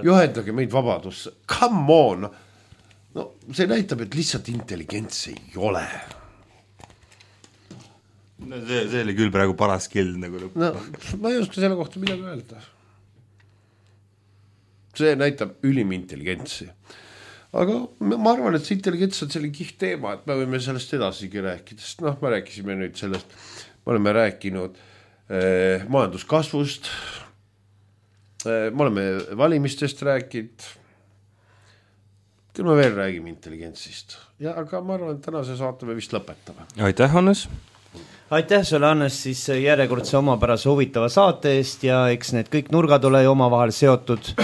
C: juhendage meid vabadusse. Come on! No, see näitab, et lihtsalt intelligents ei ole.
B: No, see oli küll praegu paras kild nagu lõpp.
C: No, ma ei oska selle kohta midagi öelda. See näitab ülim intelligentsi. Aga ma arvan, et see intelligents on selline kiht teema, et me võime sellest edasigi rääkida, sest me rääkisime nüüd sellest, me oleme rääkinud majanduskasvust, me oleme valimistest rääkinud, küll me veel räägime intelligentsist. Aga ma arvan, et tänase saate me vist lõpetame.
B: Aitäh, Hannes!
A: Aitäh sulle, Hannes, siis järjekordse omapärase huvitava saate eest ja eks need kõik nurgad ole omavahel seotud.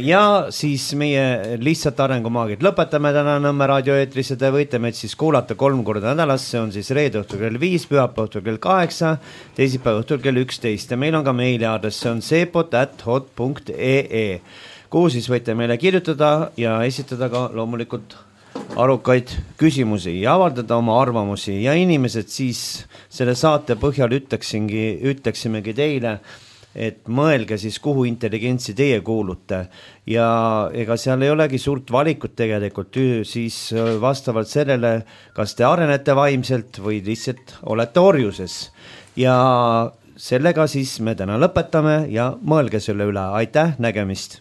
A: Ja siis meie lihtsalt arengumaagid lõpetame täna Nõmme raadioeetris ja te võite meid siis kuulata 3 korda nädalas, see on siis reede õhtul kell 5, pühapäeva õhtul kell 8, teisipäeva õhtul kell 11 ja meil on ka meiliaadress, see on sepot@hot.ee, kuhu siis võite meile kirjutada ja esitada ka loomulikult arukaid küsimusi ja avaldada oma arvamusi ja inimesed siis selle saate põhjal ütleksimegi teile, et mõelge siis, kuhu intelligentsi teie kuulute ja ega seal ei olegi suurt valikut tegelikult siis vastavalt sellele, kas te arenete vaimselt või lihtsalt olete orjuses ja sellega siis me täna lõpetame ja mõelge selle üle, aitäh, nägemist!